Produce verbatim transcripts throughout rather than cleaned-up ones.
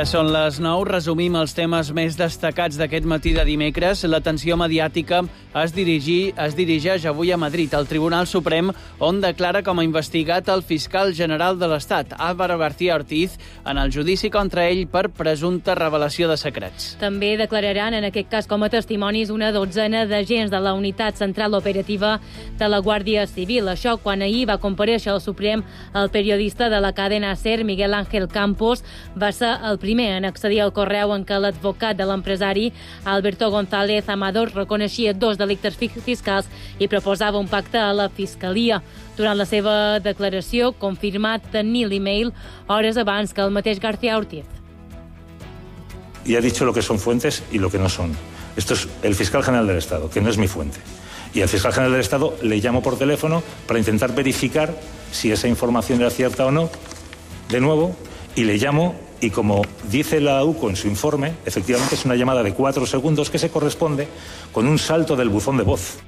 Ara són les nou. Resumim els temes més destacats d'aquest matí de dimecres. L'atenció mediàtica es, dirigi, es dirigeix avui a Madrid, al Tribunal Suprem, on declara com a investigat el fiscal general de l'Estat, Álvaro García Ortiz, en el judici contra ell per presumpta revelació de secrets. També declararan, en aquest cas com a testimonis, una dotzena d'agents de la Unitat Central Operativa de la Guàrdia Civil. Això quan ahir va comparèixer al Suprem el periodista de la cadena SER, Miguel Ángel Campos, va ser el primer en accedir al correu en què l'advocat de l'empresari, Alberto González Amador, reconeixia dos delictes fiscals i proposava un pacte a la Fiscalia. Durant la seva declaració, confirmat tenir l'email hores abans que el mateix García Ortiz. Y ha dicho lo que son fuentes y lo que no son. Esto es el fiscal general del Estado, que no es mi fuente. Y al fiscal general del Estado le llamo por teléfono para intentar verificar si esa información era cierta o no, de nuevo, y le llamo, y como dice la U C O en su informe, efectivamente es una llamada de cuatro segundos que se corresponde con un salto del buzón de voz.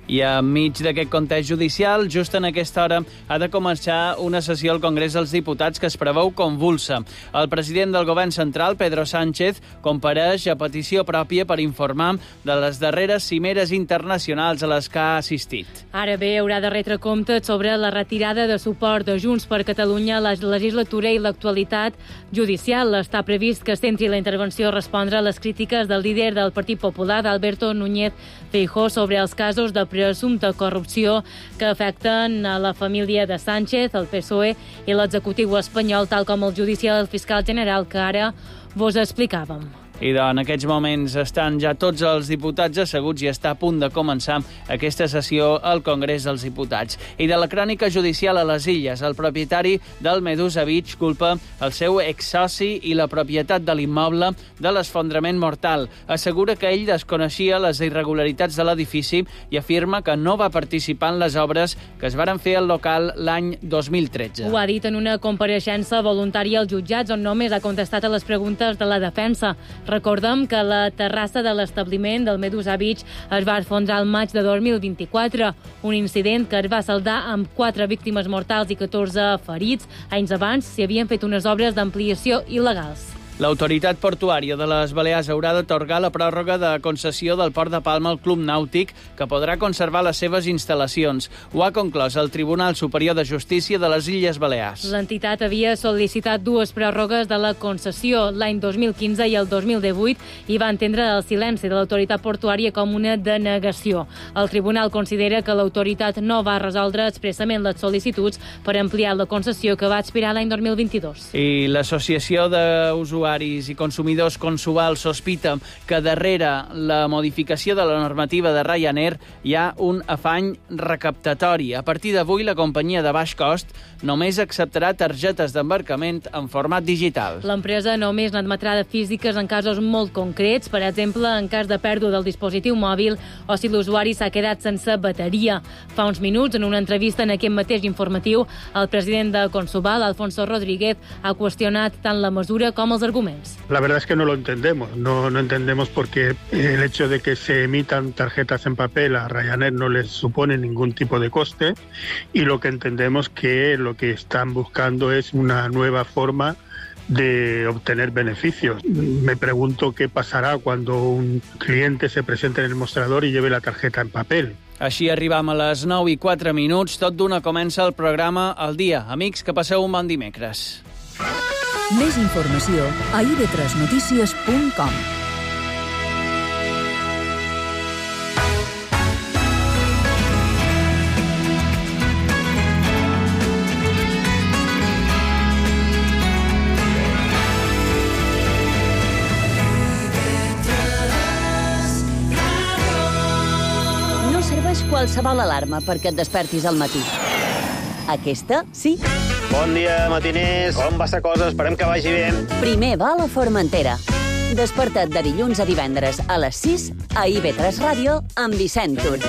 I enmig d'aquest context judicial, just en aquesta hora ha de començar una sessió al Congrés dels Diputats que es preveu convulsa. El president del govern central, Pedro Sánchez, compareix a petició pròpia per informar de les darreres cimeres internacionals a les que ha assistit. Ara bé, haurà de retre compte sobre la retirada de suport de Junts per Catalunya a la legislatura i l'actualitat judicial. Està previst que centri la intervenció a respondre a les crítiques del líder del Partit Popular, Alberto Núñez Feijóo, sobre els casos de presumpta corrupció que afecten a la família de Sánchez, el P S O E i l'executiu espanyol, tal com el judici del fiscal general que ara vos explicàvem. I en aquests moments estan ja tots els diputats asseguts i està a punt de començar aquesta sessió al Congrés dels Diputats. I de la crònica judicial a les Illes, el propietari del Medusa Beach culpa el seu exsoci i la propietat de l'immoble de l'esfondrament mortal. Assegura que ell desconeixia les irregularitats de l'edifici i afirma que no va participar en les obres que es varen fer al local l'any dos mil tretze. Ho ha dit en una compareixença voluntària als jutjats on només ha contestat a les preguntes de la defensa. Recordem que la terrassa de l'establiment del Medusa Beach es va esfondrar al maig de dos mil vint-i-quatre, un incident que es va saldar amb quatre víctimes mortals i catorze ferits. Anys abans s'hi havien fet unes obres d'ampliació il·legals. L'autoritat portuària de les Balears haurà d'atorgar la pròrroga de concessió del Port de Palma al Club Nàutic, que podrà conservar les seves instal·lacions. Ho ha conclòs el Tribunal Superior de Justícia de les Illes Balears. L'entitat havia sol·licitat dues pròrrogues de la concessió l'any dos mil quinze i el dos mil divuit i va entendre el silenci de l'autoritat portuària com una denegació. El tribunal considera que l'autoritat no va resoldre expressament les sol·licituds per ampliar la concessió que va expirar l'any dos mil vint-i-dos. I l'Associació d'Usuaris i consumidors Consual sospita que darrere la modificació de la normativa de Ryanair hi ha un afany recaptatori. A partir d'avui, la companyia de baix cost només acceptarà targetes d'embarcament en format digital. L'empresa només n'admetrà de físiques en casos molt concrets, per exemple, en cas de pèrdua del dispositiu mòbil o si l'usuari s'ha quedat sense bateria. Fa uns minuts, en una entrevista en aquest mateix informatiu, el president de Consual, Alfonso Rodríguez, ha qüestionat tant la mesura com els arguments. La verdad es que no lo entendemos, no, no entendemos porque el hecho de que se emitan tarjetas en papel a Ryanair no les supone ningún tipo de coste y lo que entendemos que lo que están buscando es una nueva forma de obtener beneficios. Me pregunto qué pasará cuando un cliente se presente en el mostrador y lleve la tarjeta en papel. Així arribam a les nou i quatre minuts, tot d'una comença el programa Al Dia. Amics, que passeu un bon dimecres. Més informació a i ve tres notícies punt com. No serveix qualsevol alarma perquè et despertis al matí. Aquesta, sí. Bon dia, matiners. Com va la cosa? Esperem que vagi bé. Primer va a la Formentera. Desperta't de dilluns a divendres a les sis a i ve tres Ràdio amb Vicent Tur.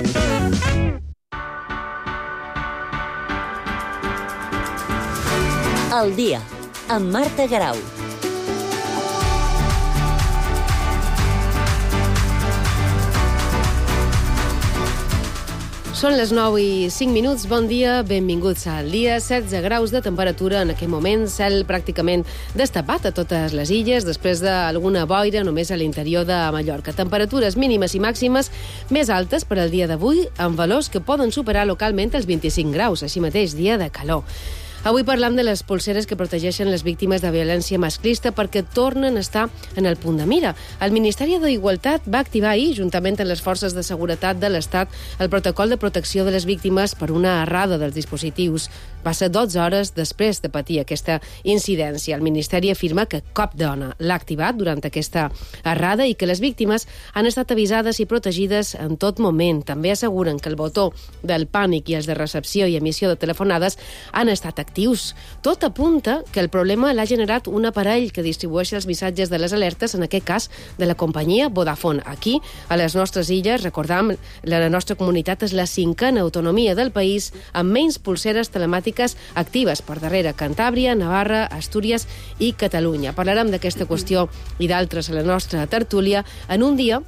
El dia, amb Marta Garau. Són les nou i cinc minuts. Bon dia, benvinguts al dia. setze graus de temperatura en aquest moment, cel pràcticament destapat a totes les illes, després d'alguna boira només a l'interior de Mallorca. Temperatures mínimes i màximes més altes per al dia d'avui, amb valors que poden superar localment els vint-i-cinc graus, així mateix dia de calor. Avui parlam de les polseres que protegeixen les víctimes de violència masclista perquè tornen a estar en el punt de mira. El Ministeri d'Igualtat va activar ahir, juntament amb les forces de seguretat de l'Estat, el protocol de protecció de les víctimes per una errada dels dispositius. Va ser dotze hores després de patir aquesta incidència. El Ministeri afirma que cap dona l'ha activat durant aquesta errada i que les víctimes han estat avisades i protegides en tot moment. També asseguren que el botó del pànic i els de recepció i emissió de telefonades han estat actius. Tot apunta que el problema l'ha generat un aparell que distribueix els missatges de les alertes, en aquest cas de la companyia Vodafone. Aquí, a les nostres illes, recordam, la nostra comunitat és la cinquena autonomia del país amb menys polseres telemàtiques actives per darrere Cantàbria, Navarra, Astúries i Catalunya. Parlarem d'aquesta qüestió i d'altres a la nostra tertúlia en un dia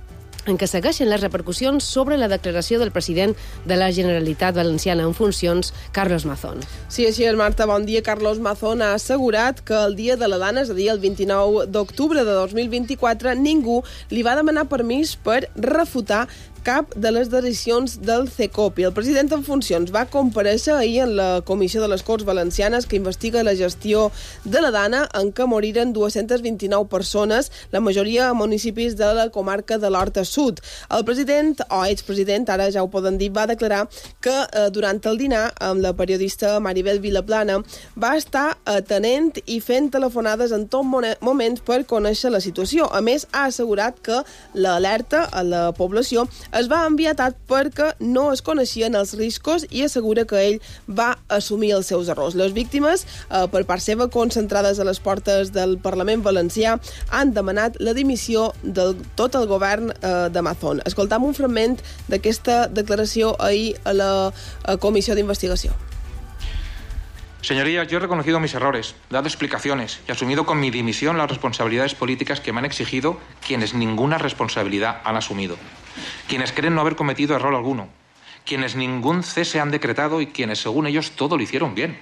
en què segueixen les repercussions sobre la declaració del president de la Generalitat Valenciana en funcions, Carlos Mazón. Sí, així és, Marta. Bon dia. Carlos Mazón ha assegurat que el dia de la dona, és a dir, el vint-i-nou d'octubre de dos mil vint-i-quatre, ningú li va demanar permís per refutar cap de les decisions del CECOP. I el president en funcions va comparèixer ahir en la Comissió de les Corts Valencianes que investiga la gestió de la Dana, en què moriren dues-centes vint-i-nou persones, la majoria a municipis de la comarca de l'Horta Sud. El president, o expresident, ara ja ho poden dir, va declarar que eh, durant el dinar amb la periodista Maribel Vilaplana va estar atenent i fent telefonades en tot moment per conèixer la situació. A més, ha assegurat que l'alerta a la població es va enviar tard perquè no es coneixien els riscos i assegura que ell va assumir els seus errors. Les víctimes, eh, per part seva, concentrades a les portes del Parlament Valencià, han demanat la dimissió de tot el govern eh, de Mazón. Escoltam un fragment d'aquesta declaració ahir a la a Comissió d'Investigació. Señorías, yo he reconocido mis errores, dado explicaciones y asumido con mi dimisión las responsabilidades políticas que me han exigido quienes ninguna responsabilidad han asumido, quienes creen no haber cometido error alguno, quienes ningún cese han decretado y quienes, según ellos, todo lo hicieron bien.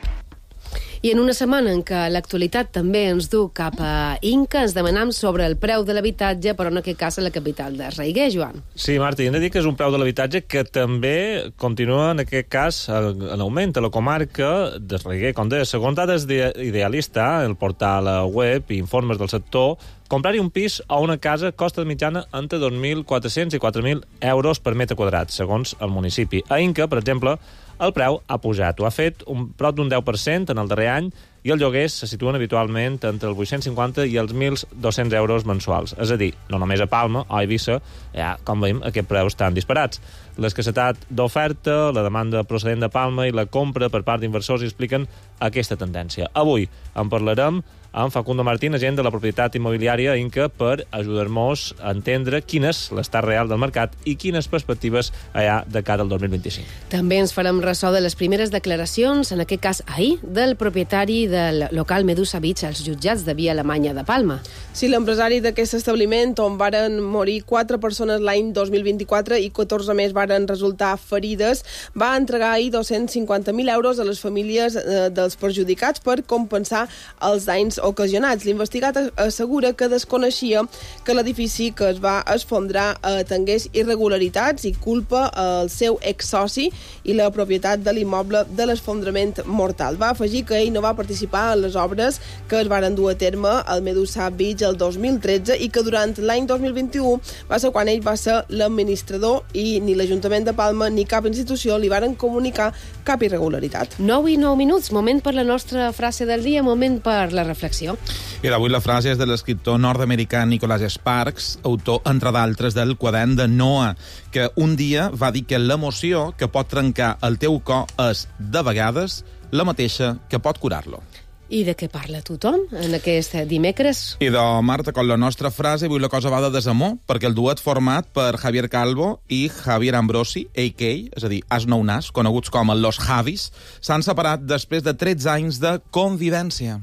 I en una setmana en què l'actualitat també ens du cap a Inca, ens demanam sobre el preu de l'habitatge, però en aquest cas a la capital de Raiguer, Joan. Sí, Marta, hem de dir que és un preu de l'habitatge que també continua, en aquest cas, en augment a la comarca de Raiguer. Com deia, segons dades d'Idealista, el portal web i informes del sector, comprar-hi un pis o una casa costa de mitjana entre dos mil quatre-cents i quatre mil euros per metre quadrat, segons el municipi. A Inca, per exemple, el preu ha pujat. Ho ha fet un prop d'un deu per cent en el darrer any i els lloguers se situen habitualment entre els vuit-cents cinquanta i els mil dos-cents euros mensuals. És a dir, no només a Palma o a Eivissa, ja, com veiem, aquests preus estan disparats. L'escassetat d'oferta, la demanda procedent de Palma i la compra per part d'inversors expliquen aquesta tendència. Avui en parlarem amb Facundo Martín, agent de la propietat immobiliària Inca, per ajudar-nos a entendre quin és l'estat real del mercat i quines perspectives hi ha de cara al dos mil vint-i-cinc. També ens farem ressò de les primeres declaracions, en aquest cas ahir, del propietari del local Medusa Beach als jutjats de Via Alemanya de Palma. Sí, l'empresari d'aquest establiment, on varen morir quatre persones l'any dos mil vint-i-quatre i catorze més varen resultar ferides, va entregar ahir dos-cents cinquanta mil euros a les famílies eh, dels perjudicats per compensar els danys ocasionats. L'investigat assegura que desconeixia que l'edifici que es va esfondrar eh, tingués irregularitats i culpa el seu exsoci i la propietat de l'immoble de l'esfondrament mortal. Va afegir que ell no va participar en les obres que es varen dur a terme al Medusa Beach el dos mil tretze i que durant l'any dos mil vint-i-u va ser quan ell va ser l'administrador i ni l'Ajuntament de Palma ni cap institució li varen comunicar cap irregularitat. nou i nou minuts, moment per la nostra frase del dia, moment per la reflexió. I avui la frase és de l'escriptor nord-americà Nicholas Sparks, autor, entre d'altres, del quadern de Noah, que un dia va dir que l'emoció que pot trencar el teu cor és, de vegades, la mateixa que pot curar-lo. I de què parla tothom en aquest dimecres? I de Marta, com la nostra frase, avui la cosa va de desamor, perquè el duet format per Javier Calvo i Javier Ambrosi, a k a, és a dir, As Nou Nas, coneguts com Los Javis, s'han separat després de tretze anys de convivència.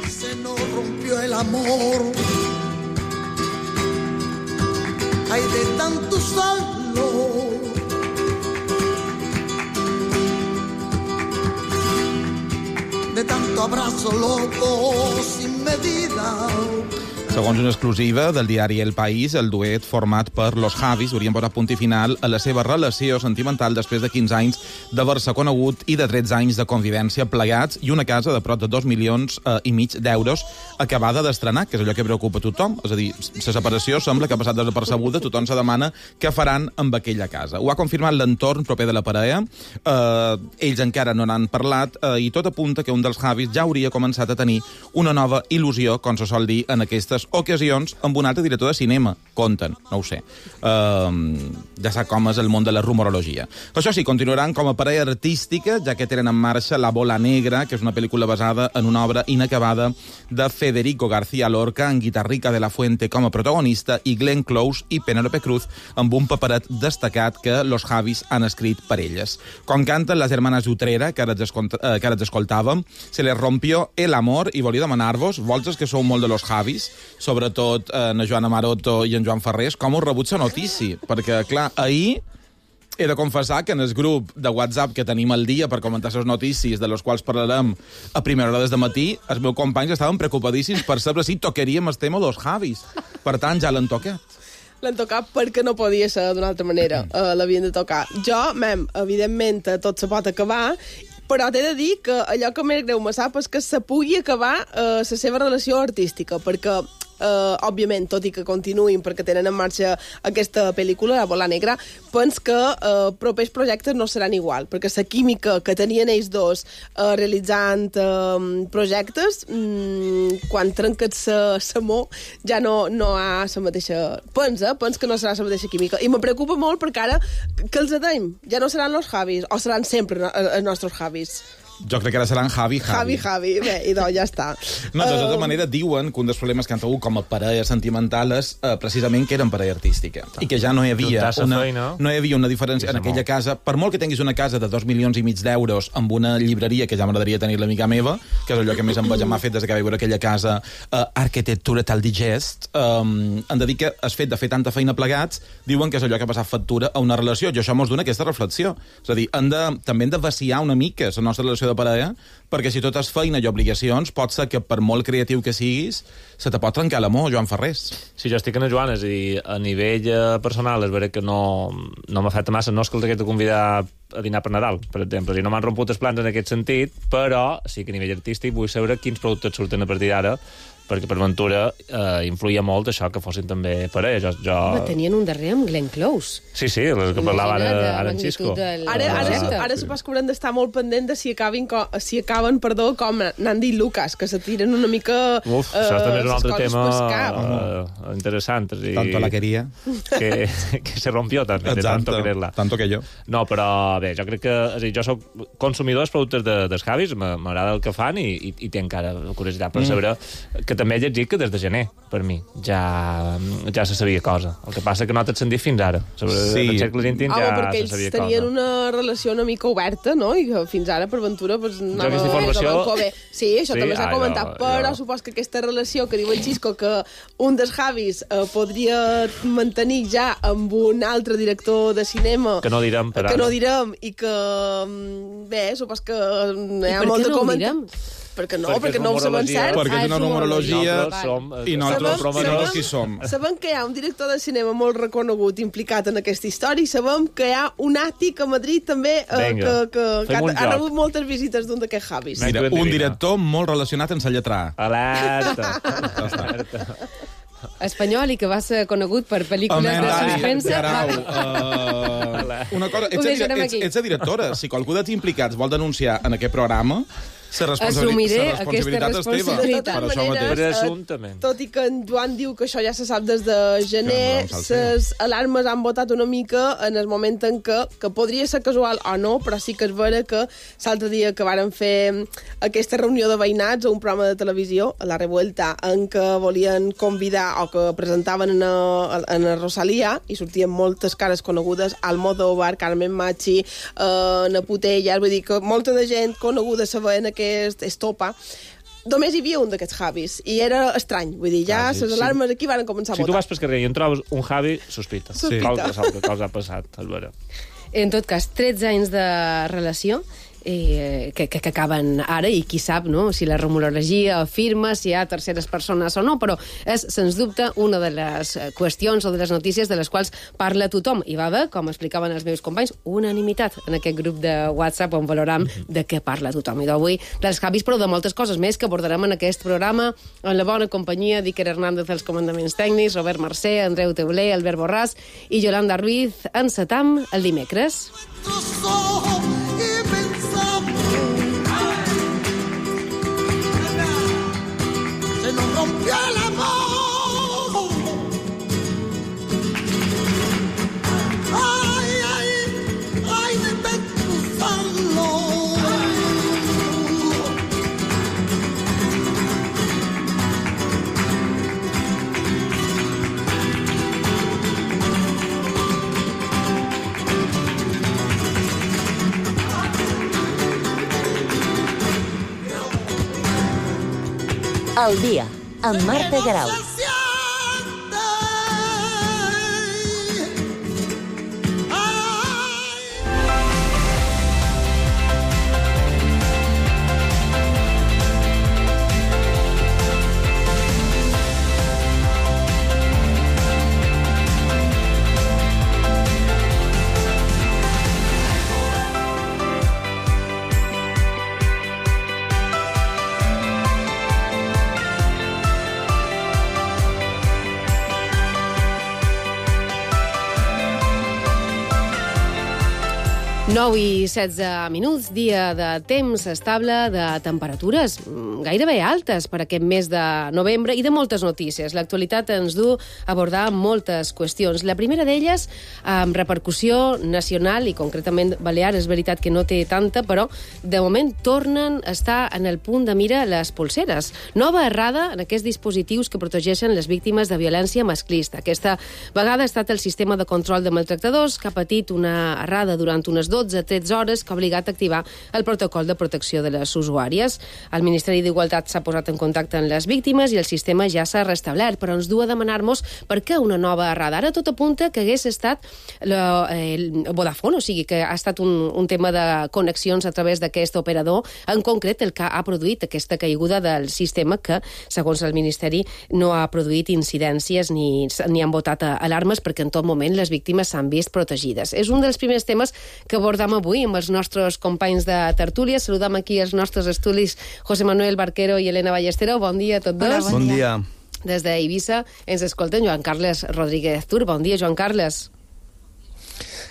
Se nos rompió el amor, hay de tanto solo, tu abrazo loco sin medida. Segons una exclusiva del diari El País, el duet format per Los Javis haurien posat punt i final a la seva relació sentimental després de quinze anys d'haver-se conegut i de tretze anys de convivència plegats i una casa de prop de dos milions eh, i mig d'euros acabada d'estrenar, que és allò que preocupa a tothom. És a dir, la separació sembla que ha passat desapercebuda, tothom se demana què faran amb aquella casa. Ho ha confirmat l'entorn proper de la parella, eh, ells encara no n'han parlat eh, i tot apunta que un dels Javis ja hauria començat a tenir una nova il·lusió, com se sol dir en aquestes ocasions, amb un altre director de cinema. Conten, no ho sé. Uh, ja sap com és el món de la rumorologia. Això sí, continuaran com a parella artística, ja que tenen en marxa La bola negra, que és una pel·lícula basada en una obra inacabada de Federico García Lorca, amb Guitarrica de la Fuente com a protagonista i Glenn Close i Penélope Cruz amb un paperet destacat que los Javis han escrit per elles. Com canten les hermanes Utrera, que ara ens, eh, que ara ens escoltàvem, se les rompió el amor i volia demanar-vos, vosaltres que sou molt de los Javis, sobretot eh, en Joana Maroto i en Joan Ferrés, com us rebut la notícia? Perquè, clar, ahir he de confessar que en el grup de WhatsApp que tenim al dia per comentar les notícies, de les quals parlarem a primera hora des de matí, els meus companys estaven preocupadíssims per saber si tocaríem el tema dels Javis. Per tant, ja l'han tocat. L'han tocat perquè no podia ser d'una altra manera. Uh, L'havien de tocar. Jo, mem, evidentment, tot se pot acabar, però t'he de dir que allò que més greu me sap és que se pugui acabar uh, la seva relació artística, perquè Uh, òbviament, tot i que continuïn perquè tenen en marxa aquesta pel·lícula, La bola negra, pens que uh, propers projectes no seran igual, perquè la química que tenien ells dos uh, realitzant uh, projectes, um, quan trenques l'amor, ja no, no ha la mateixa... Pens, eh? Pens que no serà la mateixa química. I me preocupa molt perquè ara, què els deim? Ja no seran els Javis, o seran sempre els nostres Javis? Jo crec que ara seran Javi, Javi. Javi, Javi. Bé, i doncs ja està. No, de tota Uh, manera, diuen que un dels problemes que han tingut com a parella sentimental és eh, precisament que eren parella artística. I que ja no hi havia una, no hi havia una diferència en aquella casa. Per molt que tinguis una casa de dos milions i mig d'euros amb una llibreria, que ja m'agradaria tenir l'amiga meva, que és allò que més em m'ha fet des que vaig veure aquella casa, uh, Arquitectura tal digest, um, han de dir que el fet de fer tanta feina plegats, diuen que és allò que ha passat factura a una relació. I això mos dona aquesta reflexió. És a dir, han de, també hem de vaciar una mica la nostra relació de parella, perquè si tot és feina i obligacions, pot ser que per molt creatiu que siguis, se te pot trencar l'amor, Joan Ferrés. Sí, jo estic en el Joan, és a dir, a nivell eh, personal, és vera que no, no m'ha fet massa, no és que els hagués de convidar a dinar per Nadal, per exemple, i no m'han romput els plans en aquest sentit, però sí que a nivell artístic vull saber quins productes surten a partir d'ara, perquè per Ventura eh, influïa molt això que fossin també parella. Jo, jo... Home, tenien un darrer amb Glenn Close. Sí, sí, el que parlava ara, ara en Xisco. Del... Ara, ara, ara, ara supos que haurem d'estar molt pendent de si, acabin, si acaben perdó, com n'han dit Lucas, que se tiren una mica... Uf, uh, això també és un altre tema uh, interessant. I... Tanto la quería. Que, que se rompió també, de tanto quererla. Tanto que jo. No, però bé, jo crec que... És a dir, jo soc consumidor dels productes de, dels Javis, m'agrada el que fan i, i, i té encara curiositat per saber mm. que també he llegit que des de gener, per mi, ja, ja se sabia cosa. El que passa que no t'has sentit fins ara. Sobre sí. el segle vint ja ah, se sabia cosa. Tenien una relació una mica oberta, no? I que fins ara, per Ventura, pues, anava... Jo informació... Sí, això sí, també s'ha comentat, jo, però jo... supos que aquesta relació que diu el Xisco, que un dels Javis eh, podria mantenir ja amb un altre director de cinema... Que no direm, per Que ara. no direm, i que... Bé, supos que hi ha molt de comentar... Perquè no, perquè, perquè no ho sabem cert. Perquè és una numerologia i nosaltres sabem, qui som. Sabem que hi ha un director de cinema molt reconegut implicat en aquesta història i sabem que hi ha un àtic a Madrid també eh, que, que, que ha, ha rebut moltes visites d'un d'aquests Javis. Mira, un director molt relacionat amb la lletra. Alerta! Alerta! Espanyol i que va ser conegut per pel·lícules de suspense. Uh, una cosa, ets, ets, ets, ets a directora. Si qualcú dels implicats vol denunciar en aquest programa, la responsabilitat, responsabilitat és teva. De totes maneres, tot i que en Joan diu que això ja se sap des de gener, les alarmes han votat una mica en el moment en què, que podria ser casual o no, però sí que és vera que l'altre dia que varen fer aquesta reunió de veïnats a un programa de televisió, a La Revuelta, en què volien convidar o que presentaven en a, en a Rosalía i sortien moltes cares conegudes, Almodóvar, Carmen Machi, eh, Naputellas, vull dir que molta de gent coneguda sabent aquest estopa, només hi havia un d'aquests Javis, i era estrany, vull dir, ja ah, sí, les alarmes sí. aquí van començar a si votar. Si tu vas pel carrer i en trobes un Javi, sospita. Sospita. Sí. Cosa, cosa ha passat, és vera. En tot cas, tretze anys de relació, eh, que, que, que acaben ara, i qui sap, no?, si la rumorologia afirma si hi ha terceres persones o no, però és, sens dubte, una de les qüestions o de les notícies de les quals parla tothom. I va haver, com explicaven els meus companys, unanimitat en aquest grup de WhatsApp on valoram de què parla tothom. I d'avui dels canvis, però de moltes coses més que abordarem en aquest programa, en la bona companyia d'Iker Hernández als comandaments tècnics, Robert Mercè, Andreu Teuler, Albert Borràs i Yolanda Ruiz. Encetam el dimecres. Se nos rompió el amor. Ay, ay, ay, de pensarlo. El dia, amb Marta Garau. nou i setze minuts, dia de temps estable, de temperatures gairebé altes per aquest mes de novembre i de moltes notícies. L'actualitat ens du a abordar moltes qüestions. La primera d'elles, amb repercussió nacional i concretament balear, és veritat que no té tanta, però de moment tornen a estar en el punt de mira les polseres. Nova errada en aquests dispositius que protegeixen les víctimes de violència masclista. Aquesta vegada ha estat el sistema de control de maltractadors, que ha patit una errada durant unes dotze a tretze hores que ha obligat a activar el protocol de protecció de les usuàries. El Ministeri d'Igualtat s'ha posat en contacte amb les víctimes i el sistema ja s'ha restablert, però ens du a demanar-nos per què una nova errada. Ara tot apunta que hagués estat la, eh, el Vodafone, o sigui que ha estat un, un tema de connexions a través d'aquest operador, en concret el que ha produït aquesta caiguda del sistema que, segons el Ministeri, no ha produït incidències ni, ni han votat alarmes perquè en tot moment les víctimes s'han vist protegides. És un dels primers temes que abordam avui amb els nostres companys de tertúlia. Saludam aquí els nostres estudis José Manuel Barquero i Elena Ballestero. Bon dia a tots dos. Hola, bon, bon dia. Des d'Eivissa ens escolten Joan Carles Rodríguez Tur. Bon dia, Joan Carles.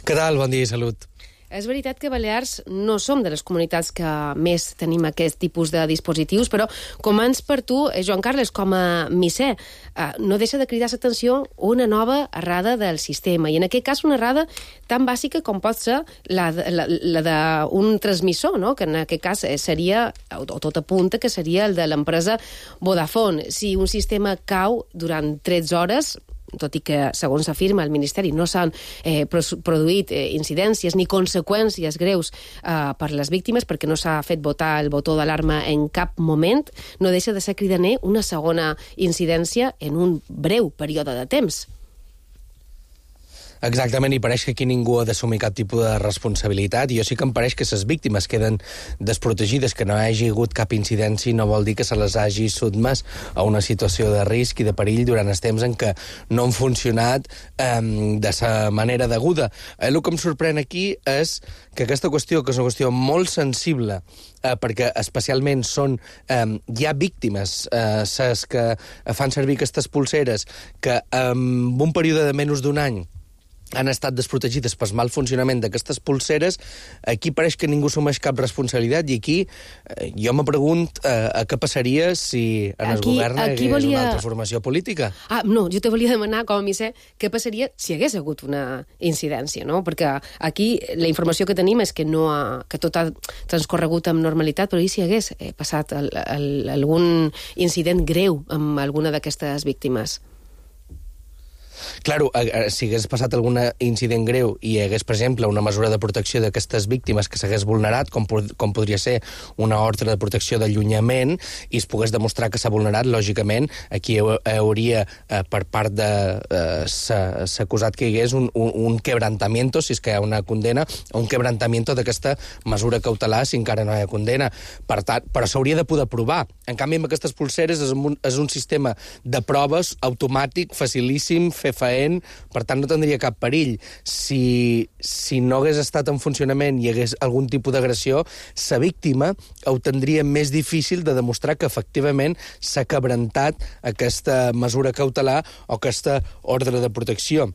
Què tal? Bon dia i salut. És veritat que Balears no som de les comunitats que més tenim aquest tipus de dispositius, però començ per tu, Joan Carles, com a misser, no deixa de cridar l'atenció una nova errada del sistema, i en aquest cas una errada tan bàsica com pot ser la, la, la d'un transmissor, no? Que en aquest cas seria, o tot apunta que seria el de l'empresa Vodafone. Si un sistema cau durant tretze hores, tot i que, segons afirma el Ministeri, no s'han eh, produït eh, incidències ni conseqüències greus eh, per les víctimes perquè no s'ha fet votar el botó d'alarma en cap moment, no deixa de ser cridaner una segona incidència en un breu període de temps. Exactament, i pareix que aquí ningú ha d'assumir cap tipus de responsabilitat, i jo sí que em pareix que les víctimes queden desprotegides, que no hi hagi hagut cap incidència no vol dir que se les hagi sotmès a una situació de risc i de perill durant els temps en què no han funcionat eh, de la manera deguda. Eh, el que em sorprèn aquí és que aquesta qüestió, que és una qüestió molt sensible, eh, perquè especialment són, eh, hi ha víctimes, eh, ses que fan servir aquestes pulseres, que en un període de menys d'un any han estat desprotegides pel mal funcionament d'aquestes pulseres. Aquí pareix que ningú assumeix cap responsabilitat, i aquí eh, jo me pregunto eh, a què passaria si en el aquí, govern hi hagués volia... una altra formació política. Ah, no, jo te volia demanar, com a misser, què passaria si hi hagués hagut una incidència, no? Perquè aquí la informació que tenim és que, no ha, que tot ha transcorregut amb normalitat, però i si hi hagués eh, passat el, el, algun incident greu amb alguna d'aquestes víctimes? Claro, si hagués passat algun incident greu i hi hagués, per exemple, una mesura de protecció d'aquestes víctimes que s'hagués vulnerat, com, com podria ser una ordre de protecció d'allunyament, i es pogués demostrar que s'ha vulnerat, lògicament, aquí hauria, eh, per part de... Eh, s'ha acusat que hi hagués un, un, un quebrantamiento, si és que hi ha una condena, un quebrantamiento d'aquesta mesura cautelar si encara no hi ha condena. Per tant, però s'hauria de poder provar. En canvi, amb aquestes pulseres és un, és un sistema de proves automàtic, facilíssim, fefaent, per tant no tindria cap perill. Si, si no hagués estat en funcionament i hi hagués algun tipus d'agressió, la víctima ho tindria més difícil de demostrar que efectivament s'ha quebrantat aquesta mesura cautelar o aquesta ordre de protecció.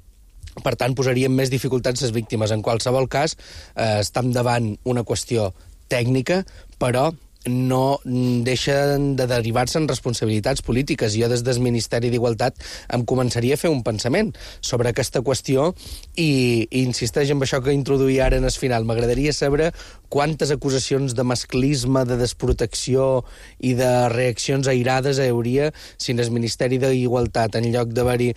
Per tant, posaríem més dificultats les víctimes. En qualsevol cas, eh, estem davant una qüestió tècnica, però no deixen de derivar-se en responsabilitats polítiques. Jo des del Ministeri d'Igualtat em començaria a fer un pensament sobre aquesta qüestió i, i insisteix en això que introduïa ara en el final. M'agradaria saber quantes acusacions de masclisme, de desprotecció i de reaccions airades hi hauria si en el Ministeri d'Igualtat, en lloc d'haver-hi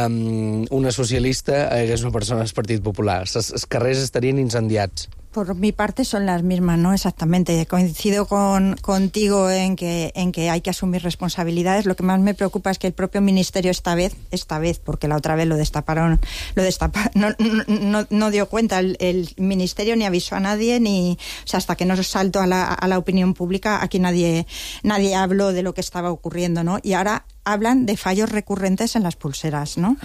um, una socialista, hi hagués una persona del Partit Popular. Els carrers estarien incendiats. Por mi parte son las mismas, ¿no? Exactamente. Coincido con, contigo en que, en que hay que asumir responsabilidades. Lo que más me preocupa es que el propio Ministerio esta vez, esta vez, porque la otra vez lo destaparon, lo destaparon, no, no, no dio cuenta. El, el Ministerio ni avisó a nadie, ni, o sea, hasta que no saltó a la, a la opinión pública, aquí nadie, nadie habló de lo que estaba ocurriendo, ¿no? Y ahora hablan de fallos recurrentes en las pulseras, ¿no?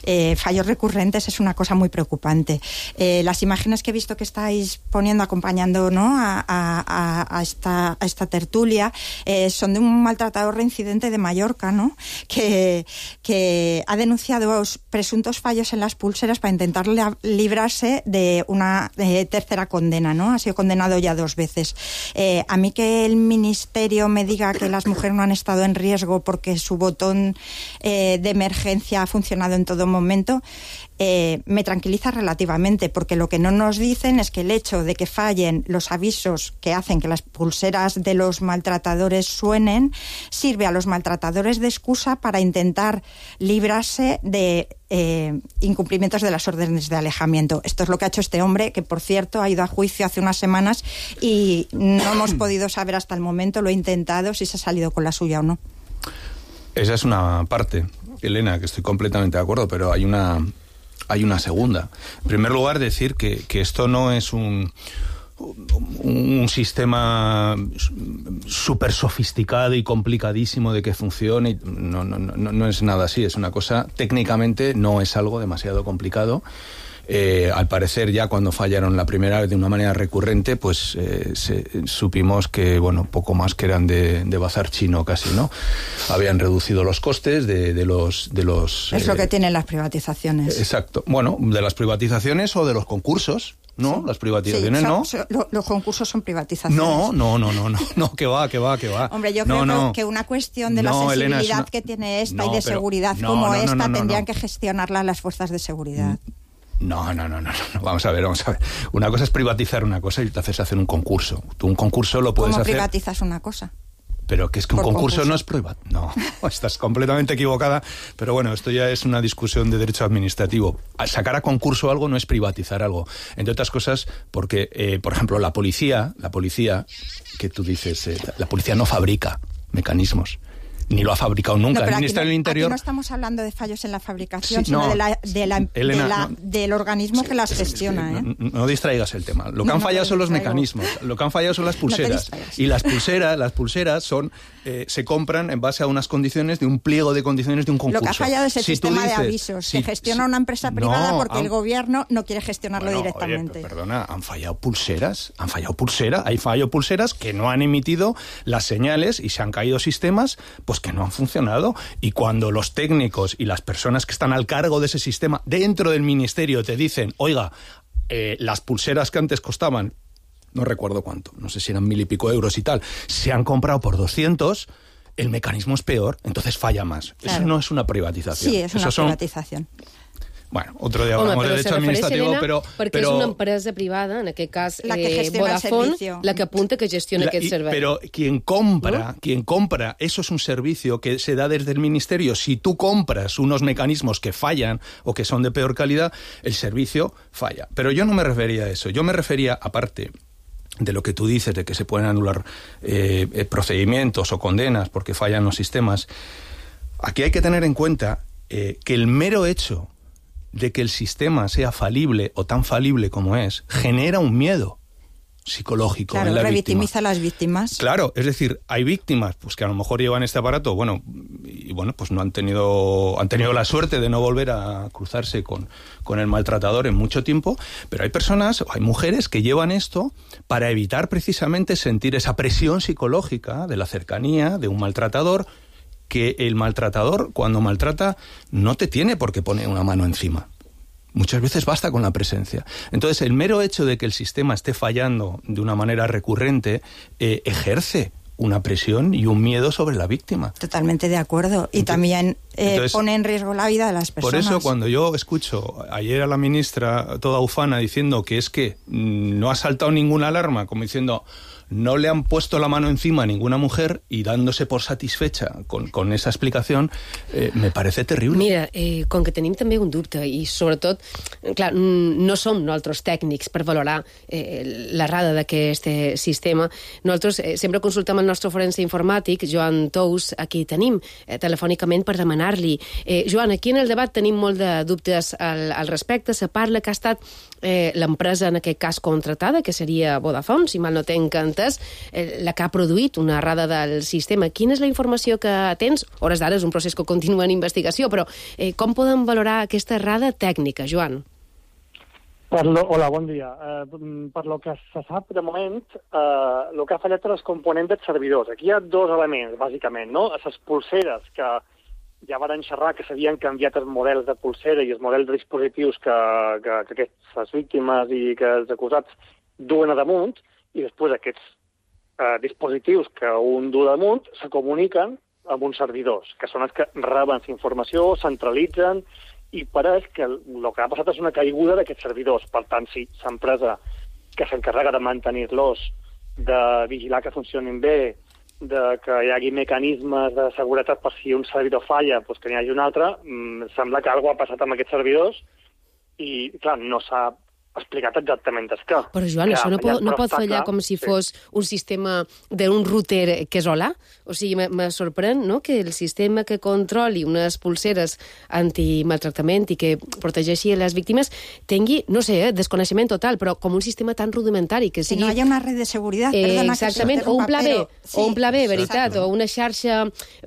Eh, fallos recurrentes es una cosa muy preocupante. Eh, las imágenes que he visto que estáis poniendo, acompañando, ¿no?, a, a, a, esta, a esta tertulia, eh, son de un maltratador reincidente de Mallorca, ¿no?, que, que ha denunciado presuntos fallos en las pulseras para intentar librarse de una eh, tercera condena, ¿no? Ha sido condenado ya dos veces. Eh, a mí que el Ministerio me diga que las mujeres no han estado en riesgo porque su botón eh, de emergencia ha funcionado en todo momento, eh, me tranquiliza relativamente, porque lo que no nos dicen es que el hecho de que fallen los avisos que hacen que las pulseras de los maltratadores suenen sirve a los maltratadores de excusa para intentar librarse de eh, incumplimientos de las órdenes de alejamiento. Esto es lo que ha hecho este hombre, que por cierto ha ido a juicio hace unas semanas y no hemos podido saber hasta el momento, lo he intentado, si se ha salido con la suya o no. Esa es una parte, Elena, que estoy completamente de acuerdo, pero hay una, hay una segunda. En primer lugar, decir que, que esto no es un, un sistema súper sofisticado y complicadísimo de que funcione. No, no, no, no es nada así, es una cosa, técnicamente no es algo demasiado complicado. Eh, al parecer, ya cuando fallaron la primera vez de una manera recurrente, pues eh, se, supimos que, bueno, poco más que eran de, de bazar chino casi, ¿no? Habían reducido los costes de, de los... De los es eh, lo que tienen las privatizaciones. Exacto. Bueno, de las privatizaciones o de los concursos, ¿no? Sí. Las privatizaciones, sí, son, ¿no? Son, lo, los concursos son privatizaciones. No, no, no, no, no, no, que va, que va, que va. Hombre, yo no, creo no. que una cuestión de no, la sensibilidad Elena, una... que tiene esta no, y de pero... seguridad no, como no, no, esta no, no, tendrían no. que gestionarla las fuerzas de seguridad. No, no, no, no, no, vamos a ver, vamos a ver. Una cosa es privatizar una cosa y te haces hacer un concurso. Tú un concurso lo puedes ¿Cómo hacer... privatizas una cosa? Pero que es que un concurso, concurso no es privado. No, estás completamente equivocada. Pero bueno, esto ya es una discusión de derecho administrativo. Sacar a concurso algo no es privatizar algo. Entre otras cosas, porque, eh, por ejemplo, la policía, la policía, que tú dices, eh, la policía no fabrica mecanismos. Ni lo ha fabricado nunca. No, el aquí Ministerio no, del Interior... Aquí no estamos hablando de fallos en la fabricación, Sí, sino no. de la, de la, Elena, de la, no. del organismo que las gestiona. ¿eh? No, no distraigas el tema. Lo que No, han no fallado te son los distraigo. mecanismos. Lo que han fallado son las No te pulseras. distraigas. Y las pulseras, las pulseras son eh, se compran en base a unas condiciones de un pliego de condiciones de un concurso. Lo que ha fallado es el Si tú sistema dices- de avisos. si- Se gestiona si- una empresa privada No, porque han- el gobierno no quiere gestionarlo Bueno, directamente. oye, perdona, han fallado pulseras, han fallado pulseras, hay fallado pulseras que no han emitido las señales y se han caído sistemas pues que no han funcionado. Y cuando los técnicos y las personas que están al cargo de ese sistema dentro del ministerio te dicen, oiga, eh, las pulseras que antes costaban, no recuerdo cuánto, no sé si eran mil y pico euros y tal, se han comprado por doscientos, el mecanismo es peor, entonces falla más. Claro. Eso no es una privatización. Sí, es una Eso son- privatización. Bueno, otro día hablamos de derecho administrativo, però... Perquè però... és una empresa privada, en aquest cas la que eh, Vodafone, la que apunta que gestiona la, aquest y, servei. Pero quien compra, ¿no? quien compra, eso es un servicio que se da desde el ministerio. Si tú compras unos mecanismos que fallan o que son de peor calidad, el servicio falla. Pero yo no me refería a eso. Yo me refería, aparte de lo que tú dices, de que se pueden anular eh, procedimientos o condenas porque fallan los sistemas, aquí hay que tener en cuenta eh, que el mero hecho de que el sistema sea falible o tan falible como es, genera un miedo psicológico claro, en la revictimiza víctima. a las víctimas. Claro, es decir, hay víctimas pues que a lo mejor llevan este aparato, bueno, y bueno, pues no han tenido han tenido la suerte de no volver a cruzarse con, con el maltratador en mucho tiempo, pero hay personas, hay mujeres que llevan esto para evitar precisamente sentir esa presión psicológica de la cercanía de un maltratador, que el maltratador, cuando maltrata, no te tiene por qué poner una mano encima. Muchas veces basta con la presencia. Entonces, el mero hecho de que el sistema esté fallando de una manera recurrente eh, ejerce una presión y un miedo sobre la víctima. Totalmente de acuerdo. Y entonces, también eh, entonces, pone en riesgo la vida de las personas. Por eso, cuando yo escucho ayer a la ministra toda ufana diciendo que es que no ha saltado ninguna alarma, como diciendo... no le han puesto la mano encima a ninguna mujer y dándose por satisfecha con, con esa explicación, eh, me parece terrible. Mira, eh, com que tenim també un dubte i sobretot, clar, no som nosaltres tècnics per valorar eh, l'errada d'aquest sistema. Nosaltres eh, sempre consultem el nostre forense informàtic, Joan Tous, a qui tenim eh, telefònicament per demanar-li. Eh, Joan, aquí en el debat tenim molt de dubtes al, al respecte. Se parla que ha estat eh, l'empresa, en aquest cas, contratada, que seria Vodafone, si mal no tenc entès, la que ha produït una errada del sistema. Quina és la informació que tens? Hores d'ara és un procés que continua en investigació, però eh, com podem valorar aquesta errada tècnica, Joan? Per lo, hola, bon dia. Eh, per lo que se sap de moment, eh, el que ha fallat és el component dels servidors. Aquí hi ha dos elements, bàsicament, no? Les pulseres que ja van xerrar que s'havien canviat els models de pulsera i els models de dispositius que, que, que aquestes víctimes i que els acusats duen a damunt, i després aquests eh, dispositius que un du damunt se comuniquen amb uns servidors, que són els que reben la informació, centralitzen, i pareix que el, el que ha passat és una caiguda d'aquests servidors. Per tant, si l'empresa que s'encarrega de mantenir-los, de vigilar que funcionin bé, de que hi hagi mecanismes de seguretat per si un servidor falla, doncs que n'hi hagi un altre, mmm, sembla que alguna cosa ha passat amb aquests servidors i, clar, no s'ha explicat exactament el què. Però, Joan, això no pot, no pot fallar com si fos un sistema d'un router que és hola? O sigui, me sorprèn, no?, que el sistema que controli unes pulseres antimaltractament i que protegeixi les víctimes tingui, no sé, eh, desconeixement total, però com un sistema tan rudimentari que sigui... Que no hi ha una red de seguretat, eh, perdona exactament, que o un pla B, sí, o un pla B, veritat, exacte. O una xarxa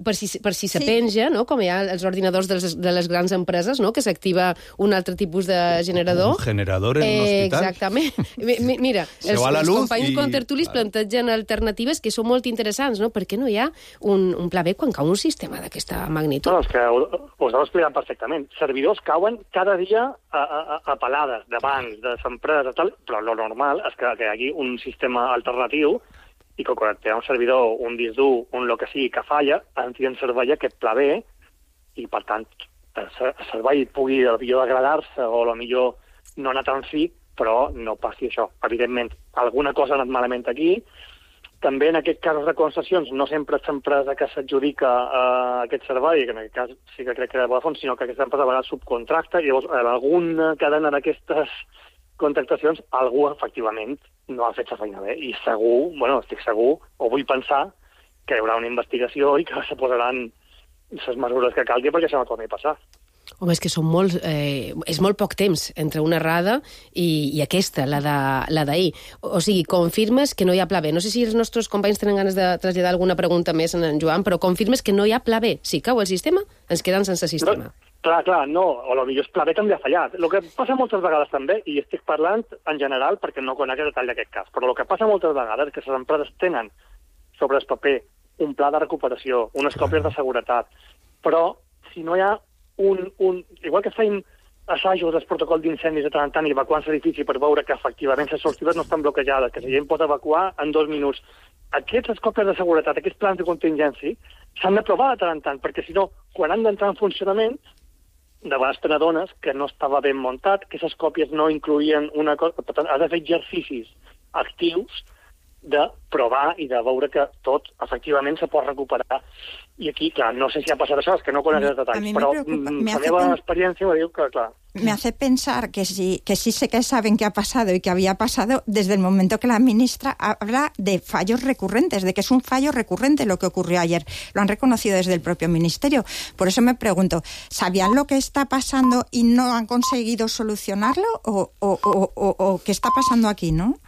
per si, per si se sí. penja, no?, com hi ha els ordinadors de les, de les grans empreses, no?, que s'activa un altre tipus de generador. Un generador en un eh, hospital. Exactament. Mira, els, els companys i... contertulis plantegen alternatives que són molt interessants, no? Per què no hi ha un, un pla B quan cau un sistema d'aquesta magnitud? No, és que us heu explicat perfectament. Servidors cauen cada dia a, a, a pelades de bancs, de empreses, tal, però lo normal és que, que hi hagi un sistema alternatiu i que quan hi ha un servidor, un disc dur, un lo que sigui que falla, en fi en servei aquest pla B i, per tant, el servei pugui millor degradar-se o millor no anar tan fi, però no passi això. Evidentment, alguna cosa ha anat malament aquí. També en aquest cas de concessions no sempre és l'empresa que s'adjudica uh, aquest servei, que en aquest cas sí que crec que era Vodafone, sinó que aquesta empresa a vegades subcontracta, i llavors en alguna cadena d'aquestes contractacions algú efectivament no ha fet la feina bé. I segur, bueno, estic segur, o vull pensar, que hi haurà una investigació i que se posaran les mesures que calgui perquè això no torni a passar. Home, és que són molt, eh, és molt poc temps entre una errada i, i aquesta, la d'ahir. O sigui, confirmes que no hi ha pla B. No sé si els nostres companys tenen ganes de traslladar alguna pregunta més en en Joan, però confirmes que no hi ha pla B. Si cau el sistema, ens quedem sense sistema. No, clar, clar, no. O potser el pla B també ha fallat. El que passa moltes vegades també, i estic parlant en general perquè no conec el detall d'aquest cas, però el que passa moltes vegades és que les empreses tenen sobre el paper un pla de recuperació, unes còpies de seguretat, però si no hi ha Un, un, igual que feim assajos del protocol d'incendis de tant en tant i evacuant l'edifici per veure que efectivament les sortides no estan bloquejades, que la gent pot evacuar en dos minuts. Aquestes còpies de seguretat, aquests plans de contingència, s'han de provar de tant en tant, perquè si no, quan han d'entrar en funcionament, de vegades te n'adones que no estava ben muntat, que aquestes còpies no incloïen una cosa... Per tant, has de fer exercicis actius de provar i de veure que tot, efectivament, se pot recuperar. I aquí, clar, no sé si ha passat això, és que no conec els detalls, però la meva experiencia me diu que, clar... Me hace pensar que sí, que sí sé que saben qué ha pasado y que había pasado desde el momento que la ministra habla de fallos recurrentes, de que es un fallo recurrente lo que ocurrió ayer. Lo han reconocido desde el propio ministerio. Por eso me pregunto, ¿sabían lo que está pasando y no han conseguido solucionarlo? ¿O, o, o, o, o qué está pasando aquí, no?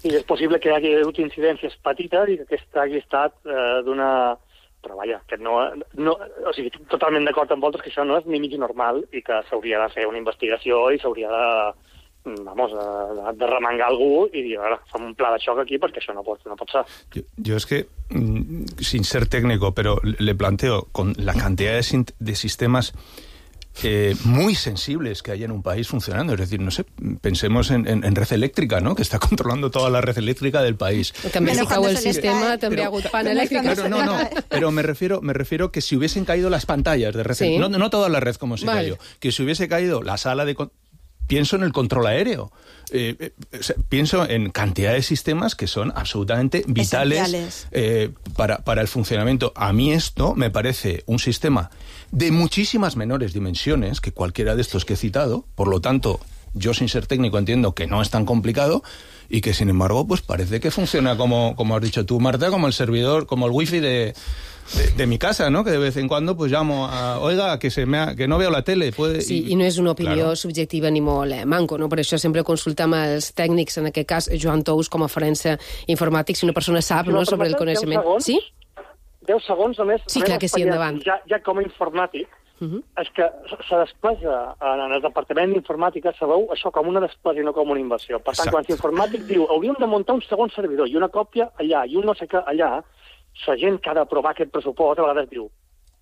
Sí, és possible que hi hagi hagut incidències petites i que aquesta hagi estat eh, d'una... Però vaja, que no, no... O sigui, estic totalment d'acord amb vosaltres que això no és ni mig normal i que s'hauria de fer una investigació i s'hauria de... Vamos, de, de remengar algú i dir, ara, fem un pla de xoc aquí perquè això no pot, no pot ser. Yo, yo es que, sin ser técnico, pero le planteo, con la cantidad de, de sistemas... Eh, muy sensibles que hay en un país funcionando. Es decir, no sé, pensemos en, en, en red eléctrica, ¿no? Que está controlando toda la red eléctrica del país. També si cau el sistema, també ha hagut pan elèctric. Pero no, no, pero me refiero, me refiero que si hubiesen caído las pantallas de red, sí. no, no toda la red como se vale. cayó, que si hubiese caído la sala de... Pienso en el control aéreo. Eh, eh, o sea, pienso en cantidad de sistemas que son absolutamente vitales eh, para, para el funcionamiento. A mí esto me parece un sistema de muchísimas menores dimensiones que cualquiera de estos que he citado. Por lo tanto, yo sin ser técnico entiendo que no es tan complicado y que sin embargo pues parece que funciona como, como has dicho tú, Marta, como el servidor, como el wifi de... De, de mi casa, ¿no? Que de vez en cuando pues llamo a, oiga, que se me ha, que no veo la tele. Puede... Sí, i, i no és una opinió claro. subjectiva ni molt eh, manco, no? Per això sempre consultam els tècnics, en aquest cas Joan Tous com a forense informàtic, si una persona sap, no, sobre el coneixement. Segons, sí? deu segons només. Sí, clar que sí, endavant. Ja, ja com a informàtic, uh -huh. és que se despesa en el departament d'informàtica, sabeu això com una despesa i no com una inversió. Per tant, Exacte. quan l'informàtic diu hauríem de muntar un segon servidor i una còpia allà i un no sé què allà, la gent que ha d'aprovar aquest pressupost a vegades diu